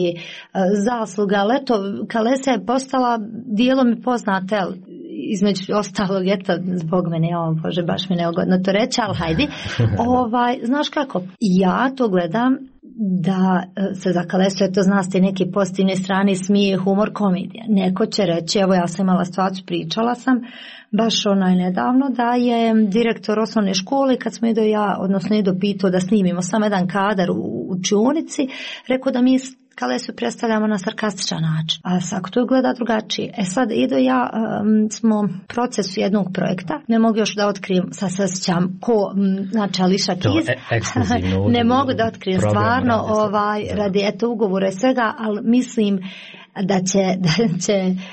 zasluge, ali eto, Kalesija je postala dijelom i poznate, između ostalog, eto, zbog mene, Bože, baš mi neugodno to reći, ali hajde, znaš kako, ja to gledam da se za Kalesiju, to znaš te neke pozitivne strane, smije, humor, komedija. Neko će reći, evo ja sam imala situaciju, pričala sam, baš nedavno, da je direktor osnovne škole, kad smo ido pitao da snimimo samo jedan kadar u učionici, rekao da mi Kalesiju predstavljamo na sarkastičan način. A svako to gleda drugačije. Sad smo procesu jednog projekta, ne mogu još da otkrijem, sad se osjećam ko, znači Ališa Kiz, ne mogu da otkrijem stvarno radi ugovora i svega, ali mislim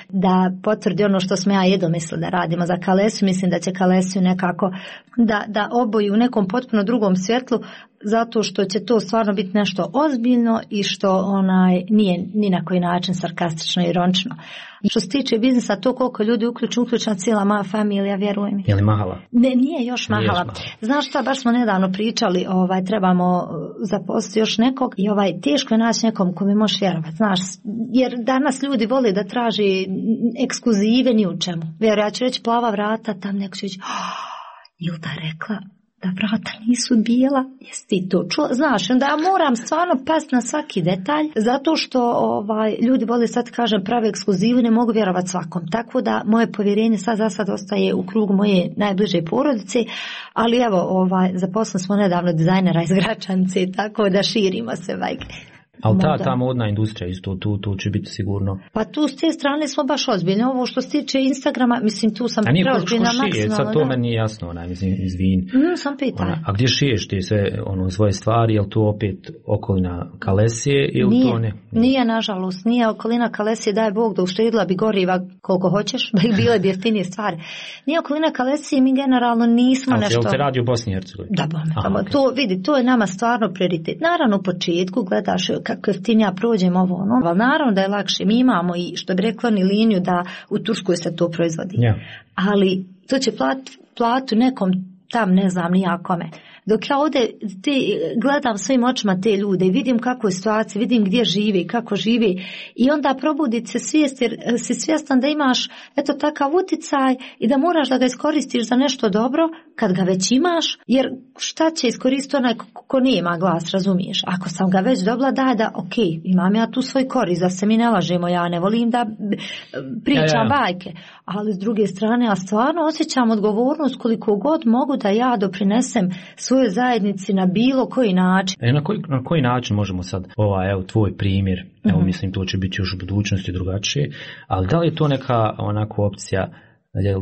da potvrdi ono što smo ja jedno mislila da radimo za Kalesiju. Mislim da će Kalesiju nekako da oboji u nekom potpuno drugom svjetlu, zato što će to stvarno biti nešto ozbiljno i što nije ni na koji način sarkastično i ironično. Što se tiče biznisa, to koliko ljudi uključena cijela moja familija, vjeruj mi. Je li mahala? Ne, nije još mahala. Znaš šta, baš smo nedavno pričali, trebamo zaposliti još nekog i teško je naći nekom ko mi može vjerovati, znaš, jer danas ljudi vole da traži ekskluzive ni u čemu. Ja ću reći plava vrata, tam neko će reći, Ilda rekla da vrata nisu bijela, jesi ti to čuo? Znaš, onda ja moram stvarno pasti na svaki detalj, zato što ljudi vole sad kažem prave ekskluzivu, ne mogu vjerovati svakom. Tako da moje povjerenje sad za sad ostaje u krugu moje najbliže porodice, ali evo, zaposlili smo nedavno dizajnera iz Gračanice, tako da širimo se vajke. Ali ta modna industrija isto, tu će biti sigurno. Pa tu s te strane smo baš ozbiljni. Ovo što se tiče Instagrama, mislim tu sam preozbiljna maksimalno. Sad to meni nije jasno, mislim, izvin. Sam pitanje. A gdje šiješ ti sve svoje stvari, je li to opet okolina Kalesije ili to ne? Nije, nažalost, nije okolina Kalesije, daj Bog da uštedila bi goriva koliko hoćeš, da bi bile bi jeftinije stvari. Nije okolina Kalesije, mi generalno nismo nešto... Ali se radi u Bosni i Hercegovini? Da, okay. To vidi, to je nama stvarno prioritet. Naravno u početku gledaš kako jeftinija prođem ovo ono, ali naravno da je lakše. Mi imamo i što bi rekla ni liniju da u Turskoj se to proizvodi. Yeah. Ali to će platu nekom tam ne znam nijakome. Dok ja ovdje gledam svojim očima te ljude i vidim kako je situacija, vidim gdje žive i kako žive i onda probuditi se svijest jer si svjestan da imaš takav uticaj i da moraš da ga iskoristiš za nešto dobro kad ga već imaš, jer šta će iskoristiti onaj ko nije ima glas, razumiješ? Ako sam ga već dobila, daj da ok, imam ja tu svoj korist, da se mi ne lažemo, ja ne volim da pričam bajke, ali s druge strane ja stvarno osjećam odgovornost koliko god mogu da ja doprinesem svojoj zajednici na bilo koji način. Na koji način možemo sad, tvoj primjer, mislim to će biti još u budućnosti drugačije, ali da li je to neka onako opcija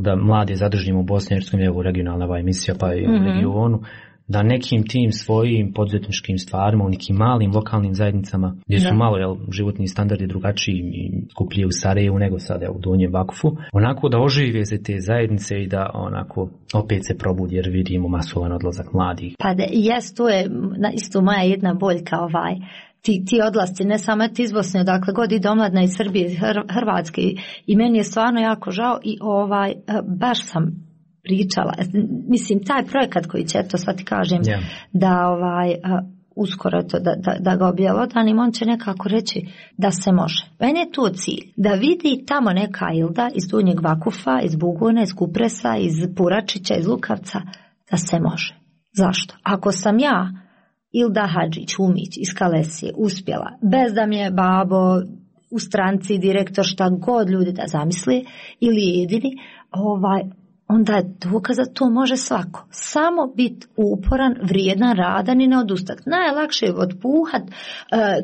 da mlade zadržimo u Bosni i Hercegovini, evo regionalna emisija pa i u regionu, da nekim tim svojim poduzetničkim stvarima u nekim malim lokalnim zajednicama gdje su malo životni standardi drugačiji i skuplji u Sarajevu nego sada u Donjem Vakufu, onako da ožive se te zajednice i da onako opet se probudi jer vidimo masovan odlazak mladih. Pa to je isto moja jedna boljka ti odlasci, ne samo iz Bosne, odakle god ide omladna iz Srbije, iz Hrvatske i meni je stvarno jako žao i baš sam pričala, mislim taj projekat koji će, sad ti kažem, da uskoro to, da ga objelodanim, on će nekako reći da se može. Meni je to cilj, da vidi tamo neka Ilda iz Donjeg Vakufa, iz Buguna, iz Kupresa, iz Puračića, iz Lukavca, da se može. Zašto? Ako sam ja Ilda Hadžić-Umić iz Kalesije uspjela, bez da mi je babo u stranci, direktor, šta god ljudi da zamisli, ili jedini, onda je dokaz da to može svako. Samo biti uporan, vrijedan, radan i ne odustati. Najlakše je otpuhat,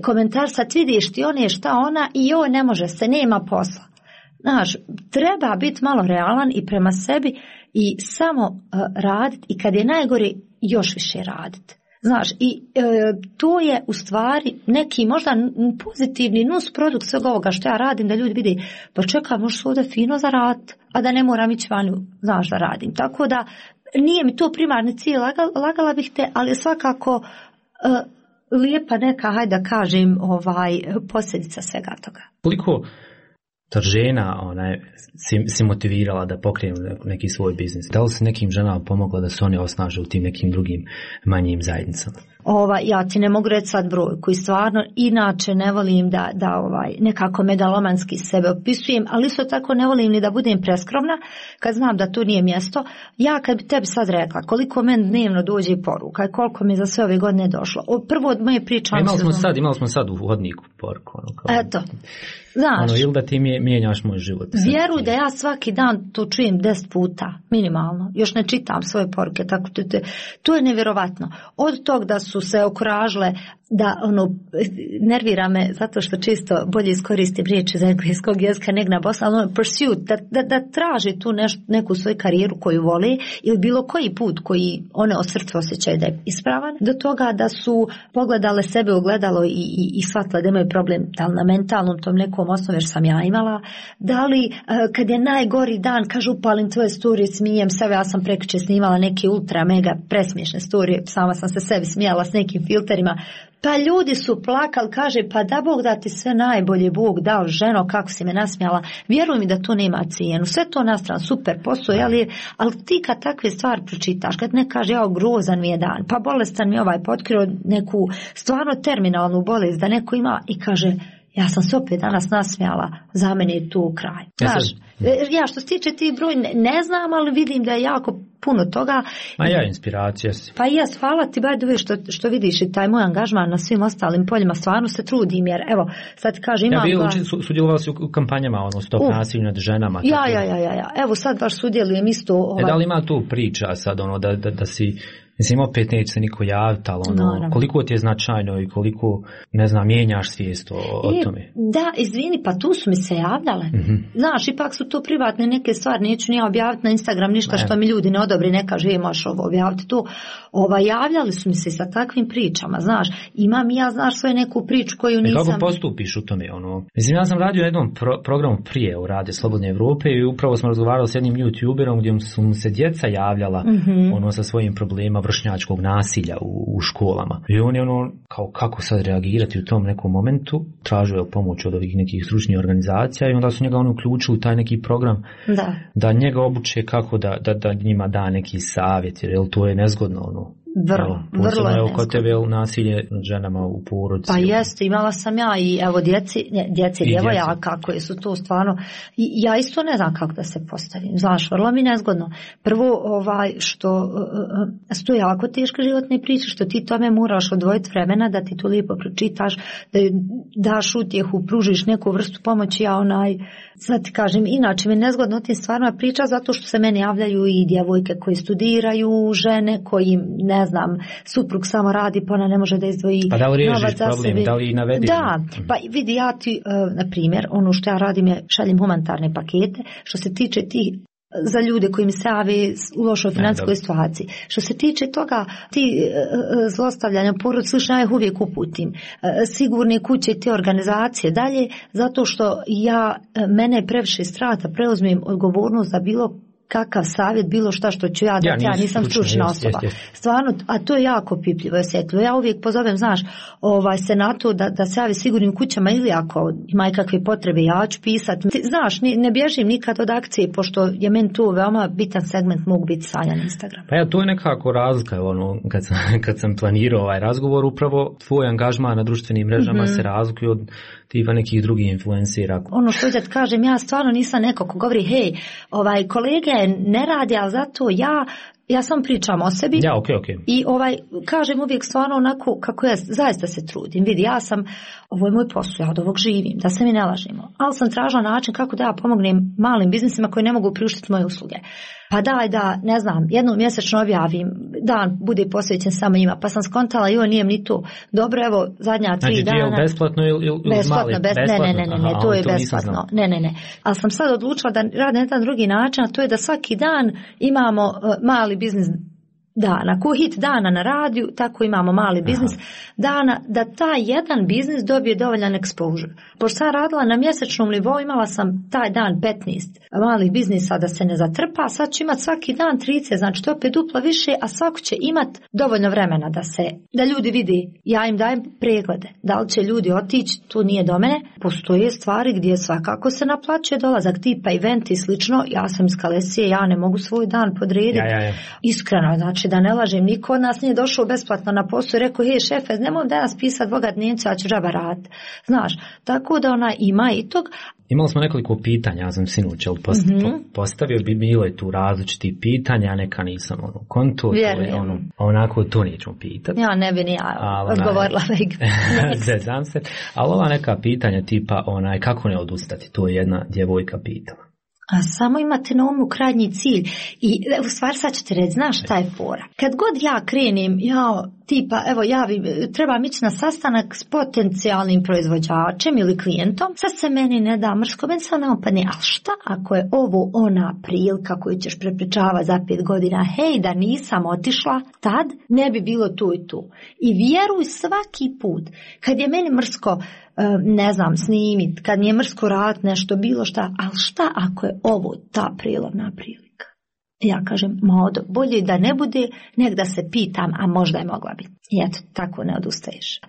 komentar sad vidiš ti on je šta ona i joj ne može se, nema posla. Znaš, treba biti malo realan i prema sebi i samo raditi i kad je najgore još više raditi. Znaš, i to je u stvari neki možda pozitivni nus produkt svega ovoga što ja radim, da ljudi vidi, pa čekaj, možeš ovdje fino zaraditi, a da ne moram ići vanju, znaš, da radim. Tako da nije mi to primarni cilj, lagala bih te, ali svakako lijepa neka, hajde da kažem, posljedica svega toga. Koliko žena si motivirala da pokrenu neki svoj biznis? Da li se nekim ženama pomogla da se one osnaže u tim nekim drugim manjim zajednicama? Ja ti ne mogu reći sad broj koji stvarno inače ne volim da nekako megalomanski sebe opisujem, ali isto tako ne volim ni da budem preskromna kad znam da to nije mjesto. Ja kad bi tebi sad rekla koliko meni dnevno dođe poruka i koliko mi za sve ove godine došlo. Prvo od moje priče... Imali smo sad u hodniku poruku. Eto. Znaš, ili da ti mijenjaš moj život. Vjeruj da ja svaki dan to čujem 10 puta, minimalno. Još ne čitam svoje poruke, tako to je nevjerovatno. Od tog da su se okuražile, da nervira me zato što često bolje iskoristim riječi iz engleskog jezika nego na bosanskom, ali pursuit, da traži tu neku svoju karijeru koju vole ili bilo koji put koji one od srca osjećaju da je ispravan, do toga da su pogledale sebe u gledalo i shvatile da imaju problem, da li na mentalnom tom nekom osnovu jer sam ja imala, da li kad je najgori dan kažu upalim tvoje storije, smijem sebe, ja sam prekjučer snimala neke ultra mega presmiješne storije, sama sam se sebi smijala s nekim filterima. Pa ljudi su plakali, kaže, pa da Bog da ti sve najbolje, Bog dao, ženo, kako si me nasmijala. Vjeruj mi da to nema cijenu. Sve to na stranu, super posao, ali ti kad takve stvari pročitaš, kad ne kaže, grozan mi je dan, pa bolestan mi potkrio neku stvarno terminalnu bolest, da neko ima i kaže, ja sam se opet danas nasmijala, za mene je tu kraj. Znaš, Ja što se tiče ti broj ne znam, ali vidim da je jako puno toga. Inspiracija si. Pa jes, hvala ti što vidiš i taj moj angažman na svim ostalim poljima, stvarno se trudim, jer evo, sad ti kažem, imam... Sudjelovali si u kampanjama, stop nasilju nad ženama. Ja. Evo sad baš sudjelujem isto... Da li ima tu priča sad, da si... Mislim, opet neće se niko javiti, ali koliko ti je značajno i koliko, mijenjaš svijest o tome? Da, izvini, pa tu su mi se javljale. Znaš, ipak su to privatne neke stvari, neću ni objaviti na Instagram ništa što mi ljudi ne odobri, ne kaže, možeš objaviti to. Javljali su mi se sa takvim pričama, znaš, imam ja, svoju neku priču koju nisam... Kako postupiš u tome, Mislim, ja sam radio na jednom programu prije u Radio Slobodne Evrope i upravo smo razgovarali s jednim youtuberom gdje su mu se djeca javljala, sa svojim problemima vršnjačkog nasilja u školama. I on je kako sad reagirati u tom nekom momentu, tražio je pomoć od ovih nekih stručnih organizacija i onda su njega uključili u taj neki program da njega obuče kako da njima da neki savjet, jer to je nezgodno Vrlo je kod tebe nasilje nad ženama u porodici. Pa jeste, imala sam ja i evo djeci djevojaka koje su to stvarno, ja isto ne znam kako da se postavim, znaš, vrlo mi nezgodno. Prvo što su to jako teške životne priče, što ti tome moraš odvojiti vremena da ti to lijepo pročitaš, da daš utjehu, pružiš neku vrstu pomoći, sad ti kažem, inače mi je nezgodno o tim stvarima priča zato što se meni javljaju i djevojke koje studiraju, žene koji ne znam, suprug samo radi pa ona ne može da izdvoji novac za sebe. Pa da li riješiš problem, da li navediš? Da, pa vidi ja ti, na primjer, ono što ja radim je šaljem humanitarne pakete, što se tiče tih za ljude koji mi se jave u lošoj financijskoj situaciji. Što se tiče toga, ti zlostavljanja porodice, ja ih uvijek uputim. Sigurne kuće i te organizacije dalje, zato što mene je previše strah da preuzmem odgovornost za bilo kakav savjet, bilo šta što ću ja dati, ja nisam stručna osoba. Stvarno, a to je jako pipljivo i osjetljivo. Ja uvijek pozovem, znaš, se na to da se javi sigurnim kućama ili ako ima kakve potrebe, ja ću pisati. Znaš, ne bježim nikad od akcije, pošto je meni to veoma bitan segment mogu biti stanja na Instagramu. Pa to je nekako razlika, kad sam planirao ovaj razgovor, upravo tvoj angažman na društvenim mrežama se razlikuje od tipa nekih drugih influencera. Ono što da kažem, ja stvarno nisam neko ko govori, hej, kolege ne radi, ali zato ja sam pričam o sebi. Ja, okay. I kažem uvijek stvarno onako kako ja zaista se trudim. Vidi, ovo je moj posao, ja od ovog živim, da se mi ne lažimo. Ali sam tražila način kako da ja pomognem malim biznisima koji ne mogu priuštiti moje usluge. Pa ne znam, jednom mjesečno objavim, dan bude posvećen samo njima, pa sam skontala i nije mi to. Dobro, evo, zadnja 3 dana. Znači, je besplatno ili besplatno, ne, to je besplatno. Ne. Ali sam sad odlučila da radim na jedan drugi način, a to je da svaki dan imamo mali biznis dana. Ko hit dana na radiju, tako imamo mali biznis dana, da taj jedan biznis dobije dovoljan exposure. Pošto sam radila na mjesečnom nivou, imala sam taj dan 15 malih biznisa da se ne zatrpa, sad ću imati svaki dan 30, znači to je opet duplo više, a svako će imati dovoljno vremena da ljudi vidi, ja im dajem preglede. Da li će ljudi otići, to nije do mene. Postoje stvari gdje svakako se naplaćuje dolazak, tipa event i slično, ja sam iz Kalesije, ja ne mogu svoj dan podrediti. Iskreno, znači da ne lažem, niko od nas nije došao besplatno na posao i rekao, hej šefe, nemoj danas pisati dvoga dnevnica, ja ću džaba raditi. Znaš, tako da ona ima i tog. Imali smo nekoliko pitanja, ja sam sinoć postavio, bilo je tu različitih pitanja, neka nisam kontu, onako to nećemo pitati. Ja ne bi ni ja odgovorila. Zezam se, ali ova neka pitanja tipa kako ne odustati, to je jedna djevojka pitala. A samo imate na umu krajnji cilj i u stvari sad ćete reći, znaš šta je fora. Kad god ja krenem, trebam ići na sastanak s potencijalnim proizvođačem ili klijentom, sad se meni ne da mrsko, meni sad ne opadne, ali šta ako je ovo ona prilika koju ćeš prepričavati za 5 godina, hej, da nisam otišla, tad ne bi bilo tu i tu. I vjeruj svaki put, kad je meni mrsko, ne znam, snimit, kad mi je mrsko raditi nešto, bilo šta, ali šta ako je ovo ta prilovna prilika? Ja kažem, bolje da ne bude, nek da se pitam, a možda je mogla biti. I eto, tako ne odustaješ.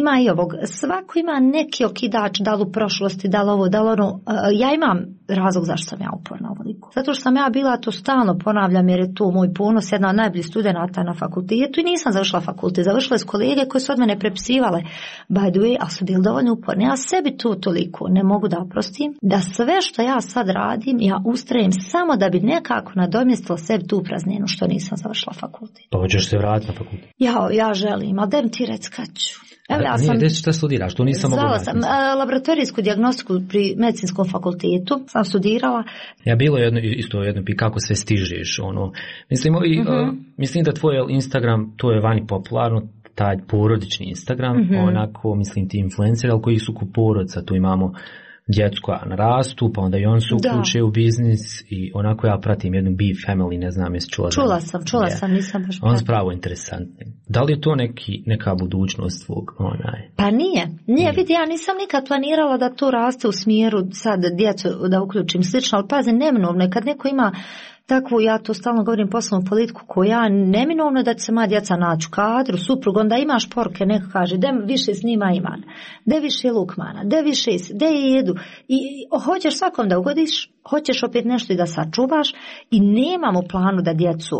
Ima i ovog, svako ima neki okidač, da li u prošlosti, da li ovo, da li ono. Ja imam razlog zašto sam ja uporna ovoliko. Zato što sam ja bila, to stalno ponavljam, jer je to moj ponos, jedna od najboljih studenata na fakultetu i nisam završila fakultet. Završile s kolege koje su od mene prepisivale, by the way, ali su bili dovoljno uporni. Ja sebi to toliko ne mogu da oprostim, da sve što ja sad radim, ja ustrajem samo da bi nekako nadomjestila sebi tu prazninu što nisam završila fakultet. Pa hoćeš se vratiti na fakultet? Ja želim, ali dajem ti reći kad ću. Evo, ja sam, nije, šta studiraš? To nisam mogla sam laboratorijsku dijagnostiku pri medicinskom fakultetu sam studirala. Ja bilo jedno kako sve stižeš, ono. Mislim da tvoj Instagram, to je vani popularno, taj porodični Instagram, onako, mislim ti influenceri, ali koji su ko porodca, tu imamo djecu koja narastu, pa onda i on se uključe u biznis i onako ja pratim jednu Bee Family, ne znam jesi čula. Čula sam, nisam baš on spravo interesantni. Da li je to neka budućnost tvog? Pa nije, vidi, ja nisam nikad planirala da to raste u smjeru sad djecu da uključim slično, ali pazi, neminovno je kad neko ima takvu, ja to stalno govorim, poslovnu politiku koja neminovno da će se moja djeca naći u kadru, suprug, onda imaš poruke, neko kaže, de više snima Iman, de više Lukmana, de više, de jedu. I hoćeš svakom da ugodiš, hoćeš opet nešto i da sačuvaš i nemam u planu da djecu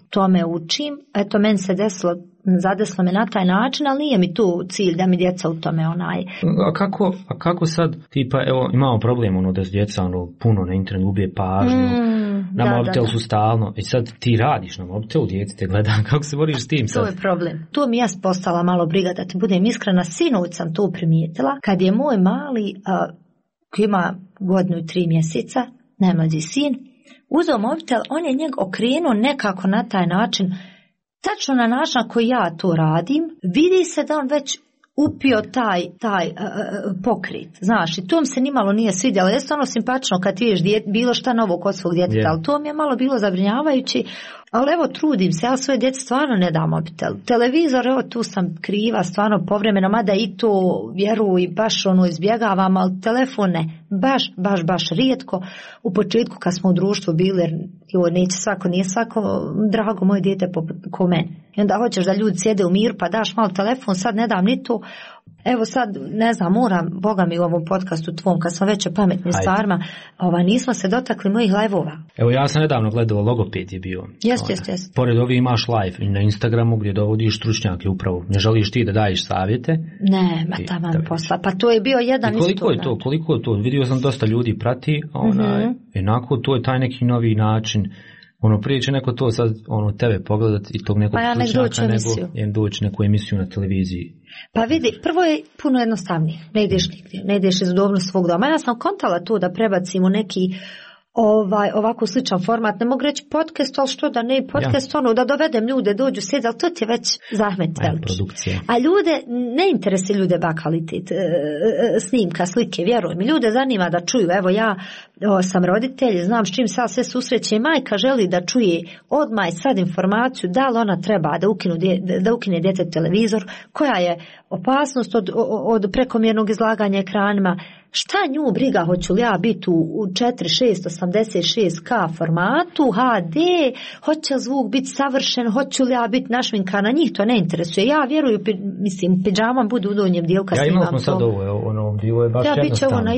tome učim. Eto, meni se zadeslo me na taj način, ali nije mi tu cilj da mi djeca u tome A kako sad, tipa, evo, imamo problem, da s djeca, puno na internetu ubije pažnju, na mobitelu su stalno, i sad ti radiš na mobitelu, djete te gleda, kako se boriš s tim sad? To je problem. Tu mi ja postala malo briga, da ti budem iskrena, sinoć sam to primijetila, kad je moj mali, koji ima 1 godinu i 3 mjeseca, najmlađi sin, uzeo mobitel, on je njeg okrenuo nekako na taj način, tačno na način koji ja to radim, vidi se da on već upio taj pokret, znaš, i to mi se nimalo nije svidjelo. Jeste ono simpatično kad vidiš bilo šta novo kod svog djeteta, ali to mi je malo bilo zabrinjavajući, ali evo trudim se, ja svoje djece stvarno ne dam mobitel. Televizor, evo tu sam kriva, stvarno povremeno, mada i to vjeruj, baš izbjegavam, ali telefon ne, baš rijetko. U početku kad smo u društvu bili, jer nije svako drago moje dijete ko mene. I onda hoćeš da ljudi sjede u miru pa daš malo telefon, sad ne dam ni to. Evo sad, ne znam, moram, Boga mi u ovom podcastu tvom, kad sam već o pametnim stvarima, nismo se dotakli mojih live-ova. Evo ja sam nedavno gledao, logoped je bio. Jest. Pored ovih imaš live i na Instagramu gdje dovodiš stručnjake upravo. Ne želiš ti da daješ savjete? Ne, taman posla. Pa to je bio jedan isto. Koliko je to? Vidio sam dosta ljudi prati, jednako to je taj neki novi način. Prije će neko to sad tebe pogledati i tog nekog stručnjaka nego doći neku emisiju na televiziji. Pa vidi, prvo je puno jednostavnije. Ne ideš nigdje, ne ideš iz udobnosti svog doma. Ja sam kontala to da prebacim u neki ovako sličan format. Ne mogu reći podcast, ali što da ne podcast, da dovedem ljude, dođu sjedi, ali to ti je već zahmet veliki. A ljude, ne interesi ljude kvalitet snimka, slike, vjeruj mi. Ljude zanima da čuju, evo ja sam roditelj, znam s čim sad sve susreće i majka želi da čuje odmah sad informaciju da li ona treba da ukine djete televizor, koja je opasnost od prekomjernog izlaganja ekranima. Šta nju briga, hoću li ja biti u 4686K formatu, HD, hoće li zvuk biti savršen, hoću li ja biti našminkana, njih to ne interesuje. Ja vjeruju, pidžamam budu u donjem dijelu kad snimam to. Ja imao smo sad ovo je baš jednostavno.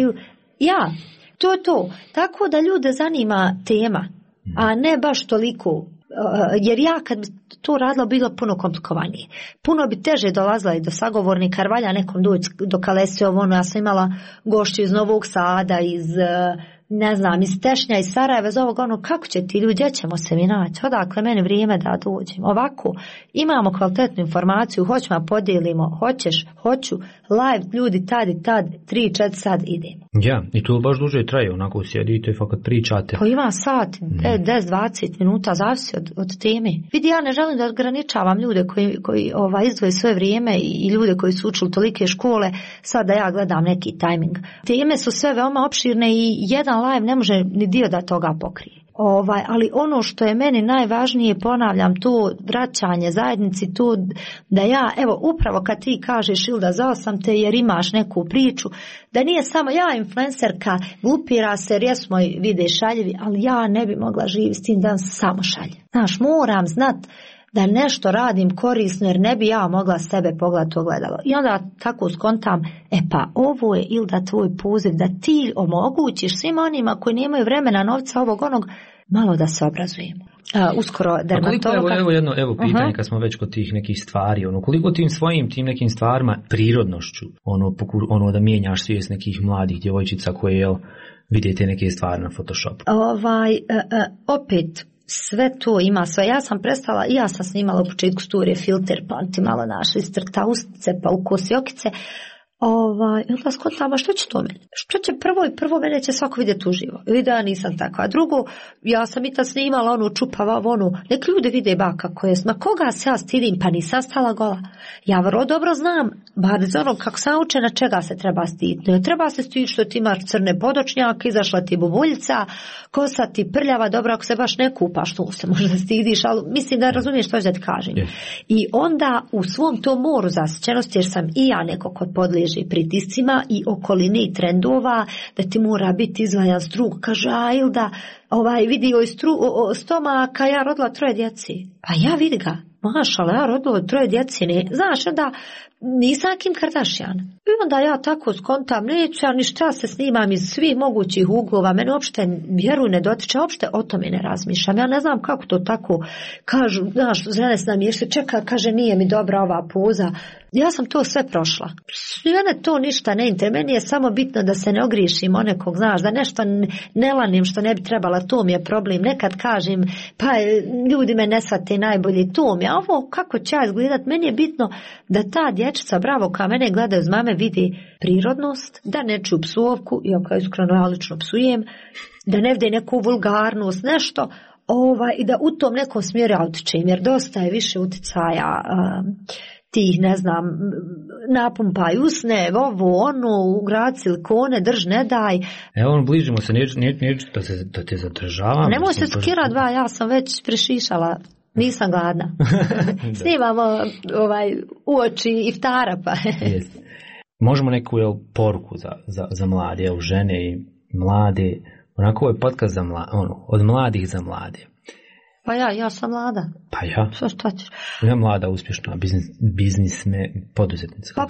To. Tako da ljude zanima tema, a ne baš toliko. Jer ja kad bi to radila bilo puno komplikovanije. Puno bi teže dolazila i do sagovornika, jer valja nekom doći do Kalesi, ja sam imala gošću iz Novog Sada, iz Tešnja, iz Sarajeva, iz ovog, kako će ti ljudi, gdje ćemo se mi naći, odakle meni vrijeme da dođem. Ovako, imamo kvalitetnu informaciju, hoćemo podijelimo, hoću, live, ljudi tad i tad, 3-4 sad idemo. Ja, i to baš duže traje, onako sjedite i fakat pričate. Pa ima sat, 10-20 minuta, zavisi od teme. Vidi, ja ne želim da ograničavam ljude koji izdvoje svoje vrijeme i ljude koji su učili tolike škole, sad da ja gledam neki tajming. Teme su sve veoma opširne i jedan live ne može ni dio da toga pokrije. Ali ono što je meni najvažnije, ponavljam, to vraćanje zajednici, to da ja, evo upravo kad ti kažeš Ilda, zvao sam te jer imaš neku priču, da nije samo ja influencerka, glupira se jer jesmo vide šaljivi, ali ja ne bi mogla živjeti s tim da samo šalje. Znaš, moram znat da nešto radim korisno jer ne bi ja mogla sebe pogledati ogledalo. I onda tako skontam, pa ovo je Ilda tvoj poziv da ti omogućiš svima onima koji nemaju vremena, novca, ovog onog, malo da se obrazujemo. Uskoro dermatologa. Evo pitanje kad smo već kod tih nekih stvari, koliko tim svojim tim nekim stvarima, prirodnošću, da mijenjaš svijest nekih mladih djevojčica koje vidite neke stvari na Photoshopu. Opet sve to ima sve. Ja sam prestala, i ja sam snimala u početku storije filter, pa ti malo naša istrta ustice, pa ukosi okice. Onda skontama, što će to meni? Što će prvo mene će svako vidjeti uživo. Vidi, ja nisam takva. A drugo, ja sam i tad snimala onu čupava, nek ljudi vide baka koja je, ma koga se ja stidim, pa nisam stala gola. Ja vrlo dobro znam, bar iz onog kako sam učena, čega se treba stiditi. Ne treba se stiditi što ti imaš crne podočnjake, izašla ti bubuljica, kosa ti prljava, dobro ako se baš ne kupaš, to se možda stidiš, ali mislim da razumiješ što ću da ti kažem. I onda u svom tom moru zasićenosti, jer sam i ja neko ko podliježi pritiscima i okolini i trendova, da ti mora biti izvajan strug. Kaže, Ilda, vidio je stomaka, ja rodila 3 djeci. Pa ja vidi ga, mašala, ja rodila 3 djeci, ne. Znaš, onda nisam Kim Kardashian. I onda ja tako skontam, neću ja ništa, se snimam iz svih mogućih uglova, mene uopšte vjeruj ne dotiče, uopšte o tome ne razmišljam. Ja ne znam kako to tako kažu, znaš, žene s nami ješli, čeka, kaže, nije mi dobra ova poza. Ja sam to sve prošla. Mene to ništa ne interesuje, meni je samo bitno da se ne ogriješim o nekog, znaš, da nešto ne lanim što ne bi trebala, to mi je problem. Nekad kažem, pa ljudi me ne shvate najbolje, to mi je, a ovo kako će ja izgledat, meni je bitno da ta dječica, bravo, kao mene gledaju z mame, vidi prirodnost, da ne čuju psovku, iako iskreno ja lično psujem, da ne vide neku vulgarnost, nešto, i da u tom nekom smjeru ja utičem, jer dosta je više uticaja tih, ne znam, napumpaj usne, ugrad silikone, drž, ne daj. Evo, bližimo se, neću da te zadržavam. Nemoj se skira dva, ja sam već prešišala. Nisam gladna. Snimamo u oči iftara, pa. Možemo neku poruku za mlade, žene i mlade. Onako je podcast za od mladih za mlade. Pa ja sam mlada. Pa ja. Šta ćeš? Ja mlada, uspješna, poduzetnica. Kako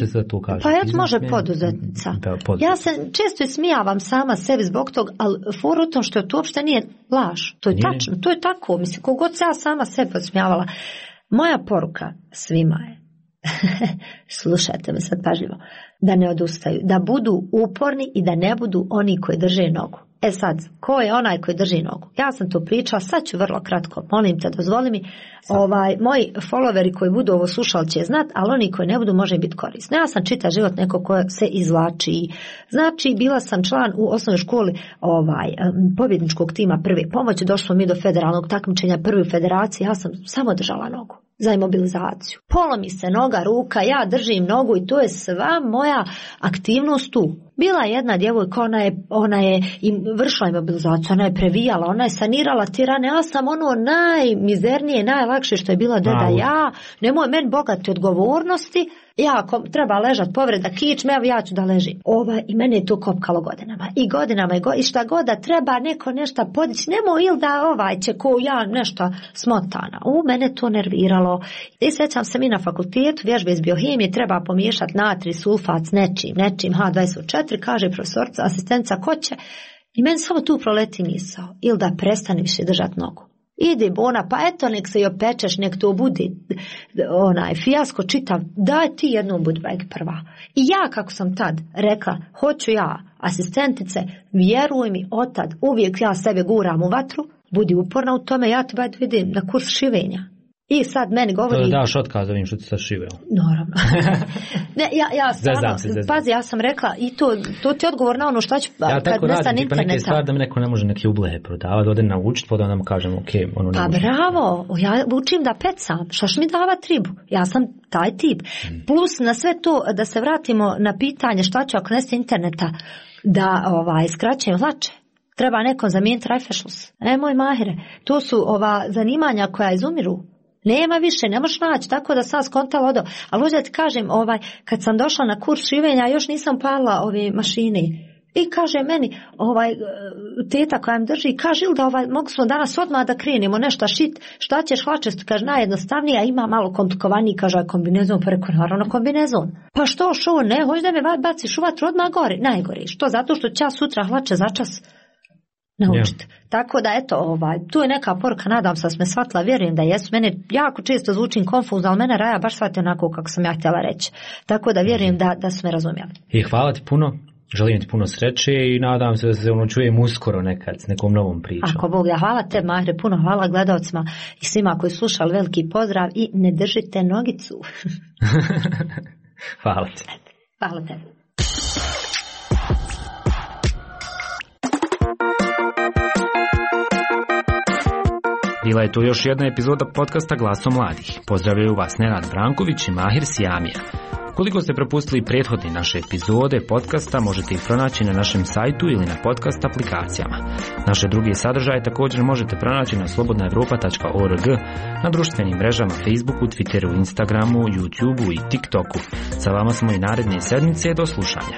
se to kaže? Pa može poduzetnica. Ja se često smijavam sama sebi zbog tog, ali for u tom što to uopšte nije laž. To je tačno, to je tako. Mislim, kogod se ja sama sebi odsmijavala. Moja poruka svima je, slušajte me sad pažljivo, da ne odustaju, da budu uporni i da ne budu oni koji drže nogu. Sad, ko je onaj koji drži nogu? Ja sam to pričala, sad ću vrlo kratko, molim te, dozvoli mi. Moji followeri koji budu ovo slušali će znat, ali oni koji ne budu može biti korisni. Ja sam čitav život neko ko se izvlači. Znači, bila sam član u osnovnoj školi pobjedničkog tima prve pomoći, došlo mi do federalnog takmičenja prve federacije, ja sam samo držala nogu za imobilizaciju. Polomi se noga, ruka, ja držim nogu i to je sva moja aktivnost tu. Bila je jedna djevojka, ona je vršila imobilizaciju, ona je previjala, ona je sanirala ti rane, ja sam najmizernije, najlakše što je bila deda ja, nemoj meni bogati odgovornosti, ja ako treba ležat povreda kičme, ja ću da ležim. I mene je to kopkalo godinama. I šta god da treba neko nešto podići, nemoj ili da će ko ja nešto smotana. Mene to nerviralo. I sjećam se mi na fakultetu, vježbe iz biohemije, treba pomiješati natri, sulfat s nečim, H24, kaže profesorica, asistentica, ko će? I meni samo tu proleti misao. Ili da prestane više držati nogu. Idi bona, pa eto nek se i opečeš, nek to bude fijasko čitav, daj ti jednom budi prva. I ja kako sam tad rekla, hoću ja, asistentice, vjeruj mi, otad, uvijek ja sebe guram u vatru, budi uporna u tome, ja te vidim na kurs šivenja. I sad meni govori... To daš otkaz ovim što ti sad šiveo. Naravno. Ja stvarno, pazi, ja sam rekla i to ti je odgovor na ono što ću kad nestane interneta. Neke stvari da mi neko ne može neke ublehe prodavati, ode naučiti, pa da mu kažem, ok, ono ne pa može. Bravo, ja učim da pecam, šaš mi davat ribu, ja sam taj tip. Plus na sve to, da se vratimo na pitanje šta ću ako nestane interneta, da skraćujem hlače. Treba nekom zamijeniti rajfešlus. Moj Mahire, to su ova zanimanja koja izumiru. Nema više, ne možeš naći, tako da sam skontala odo. Ali ovdje ti kažem, kad sam došla na kurs šivenja, još nisam palila ove mašine. I kaže meni, teta koja mi drži, kaže Ilda, mogu smo danas odmah da krenemo nešto šit, šta ćeš hlačesto, kaže najjednostavnije, a ima malo komplikovaniji, kaže kombinezon, pa rekao, naravno kombinezon. Pa što, ne, hoćeš da me baciš u vatru odmah gore, najgore, što, zato što ću ja sutra hlače za čas naučiti. Tako da, eto, tu je neka poruka, nadam se da me shvatila, vjerujem da jesu. Mene jako često zvučim konfuzno, ali mene Raja baš shvati onako kako sam ja htjela reći. Tako da vjerujem da su me razumjeli. I hvala ti puno, želim ti puno sreće i nadam se da se čujem uskoro nekad s nekom novom pričom. Ako Bog, ja hvala te, Mahre, puno hvala gledalcima i svima koji slušali, veliki pozdrav i ne držite nogicu. Hvala ti. Hvala te. Bila je to još jedna epizoda podcasta Glasom mladih. Pozdravljaju vas Nenad Branković i Mahir Sijamija. Koliko ste propustili prethodne naše epizode podcasta, možete ih pronaći na našem sajtu ili na podcast aplikacijama. Naše druge sadržaje također možete pronaći na slobodnaevropa.org, na društvenim mrežama Facebooku, Twitteru, Instagramu, YouTubeu i TikToku. Sa vama smo i naredne sedmice, do slušanja.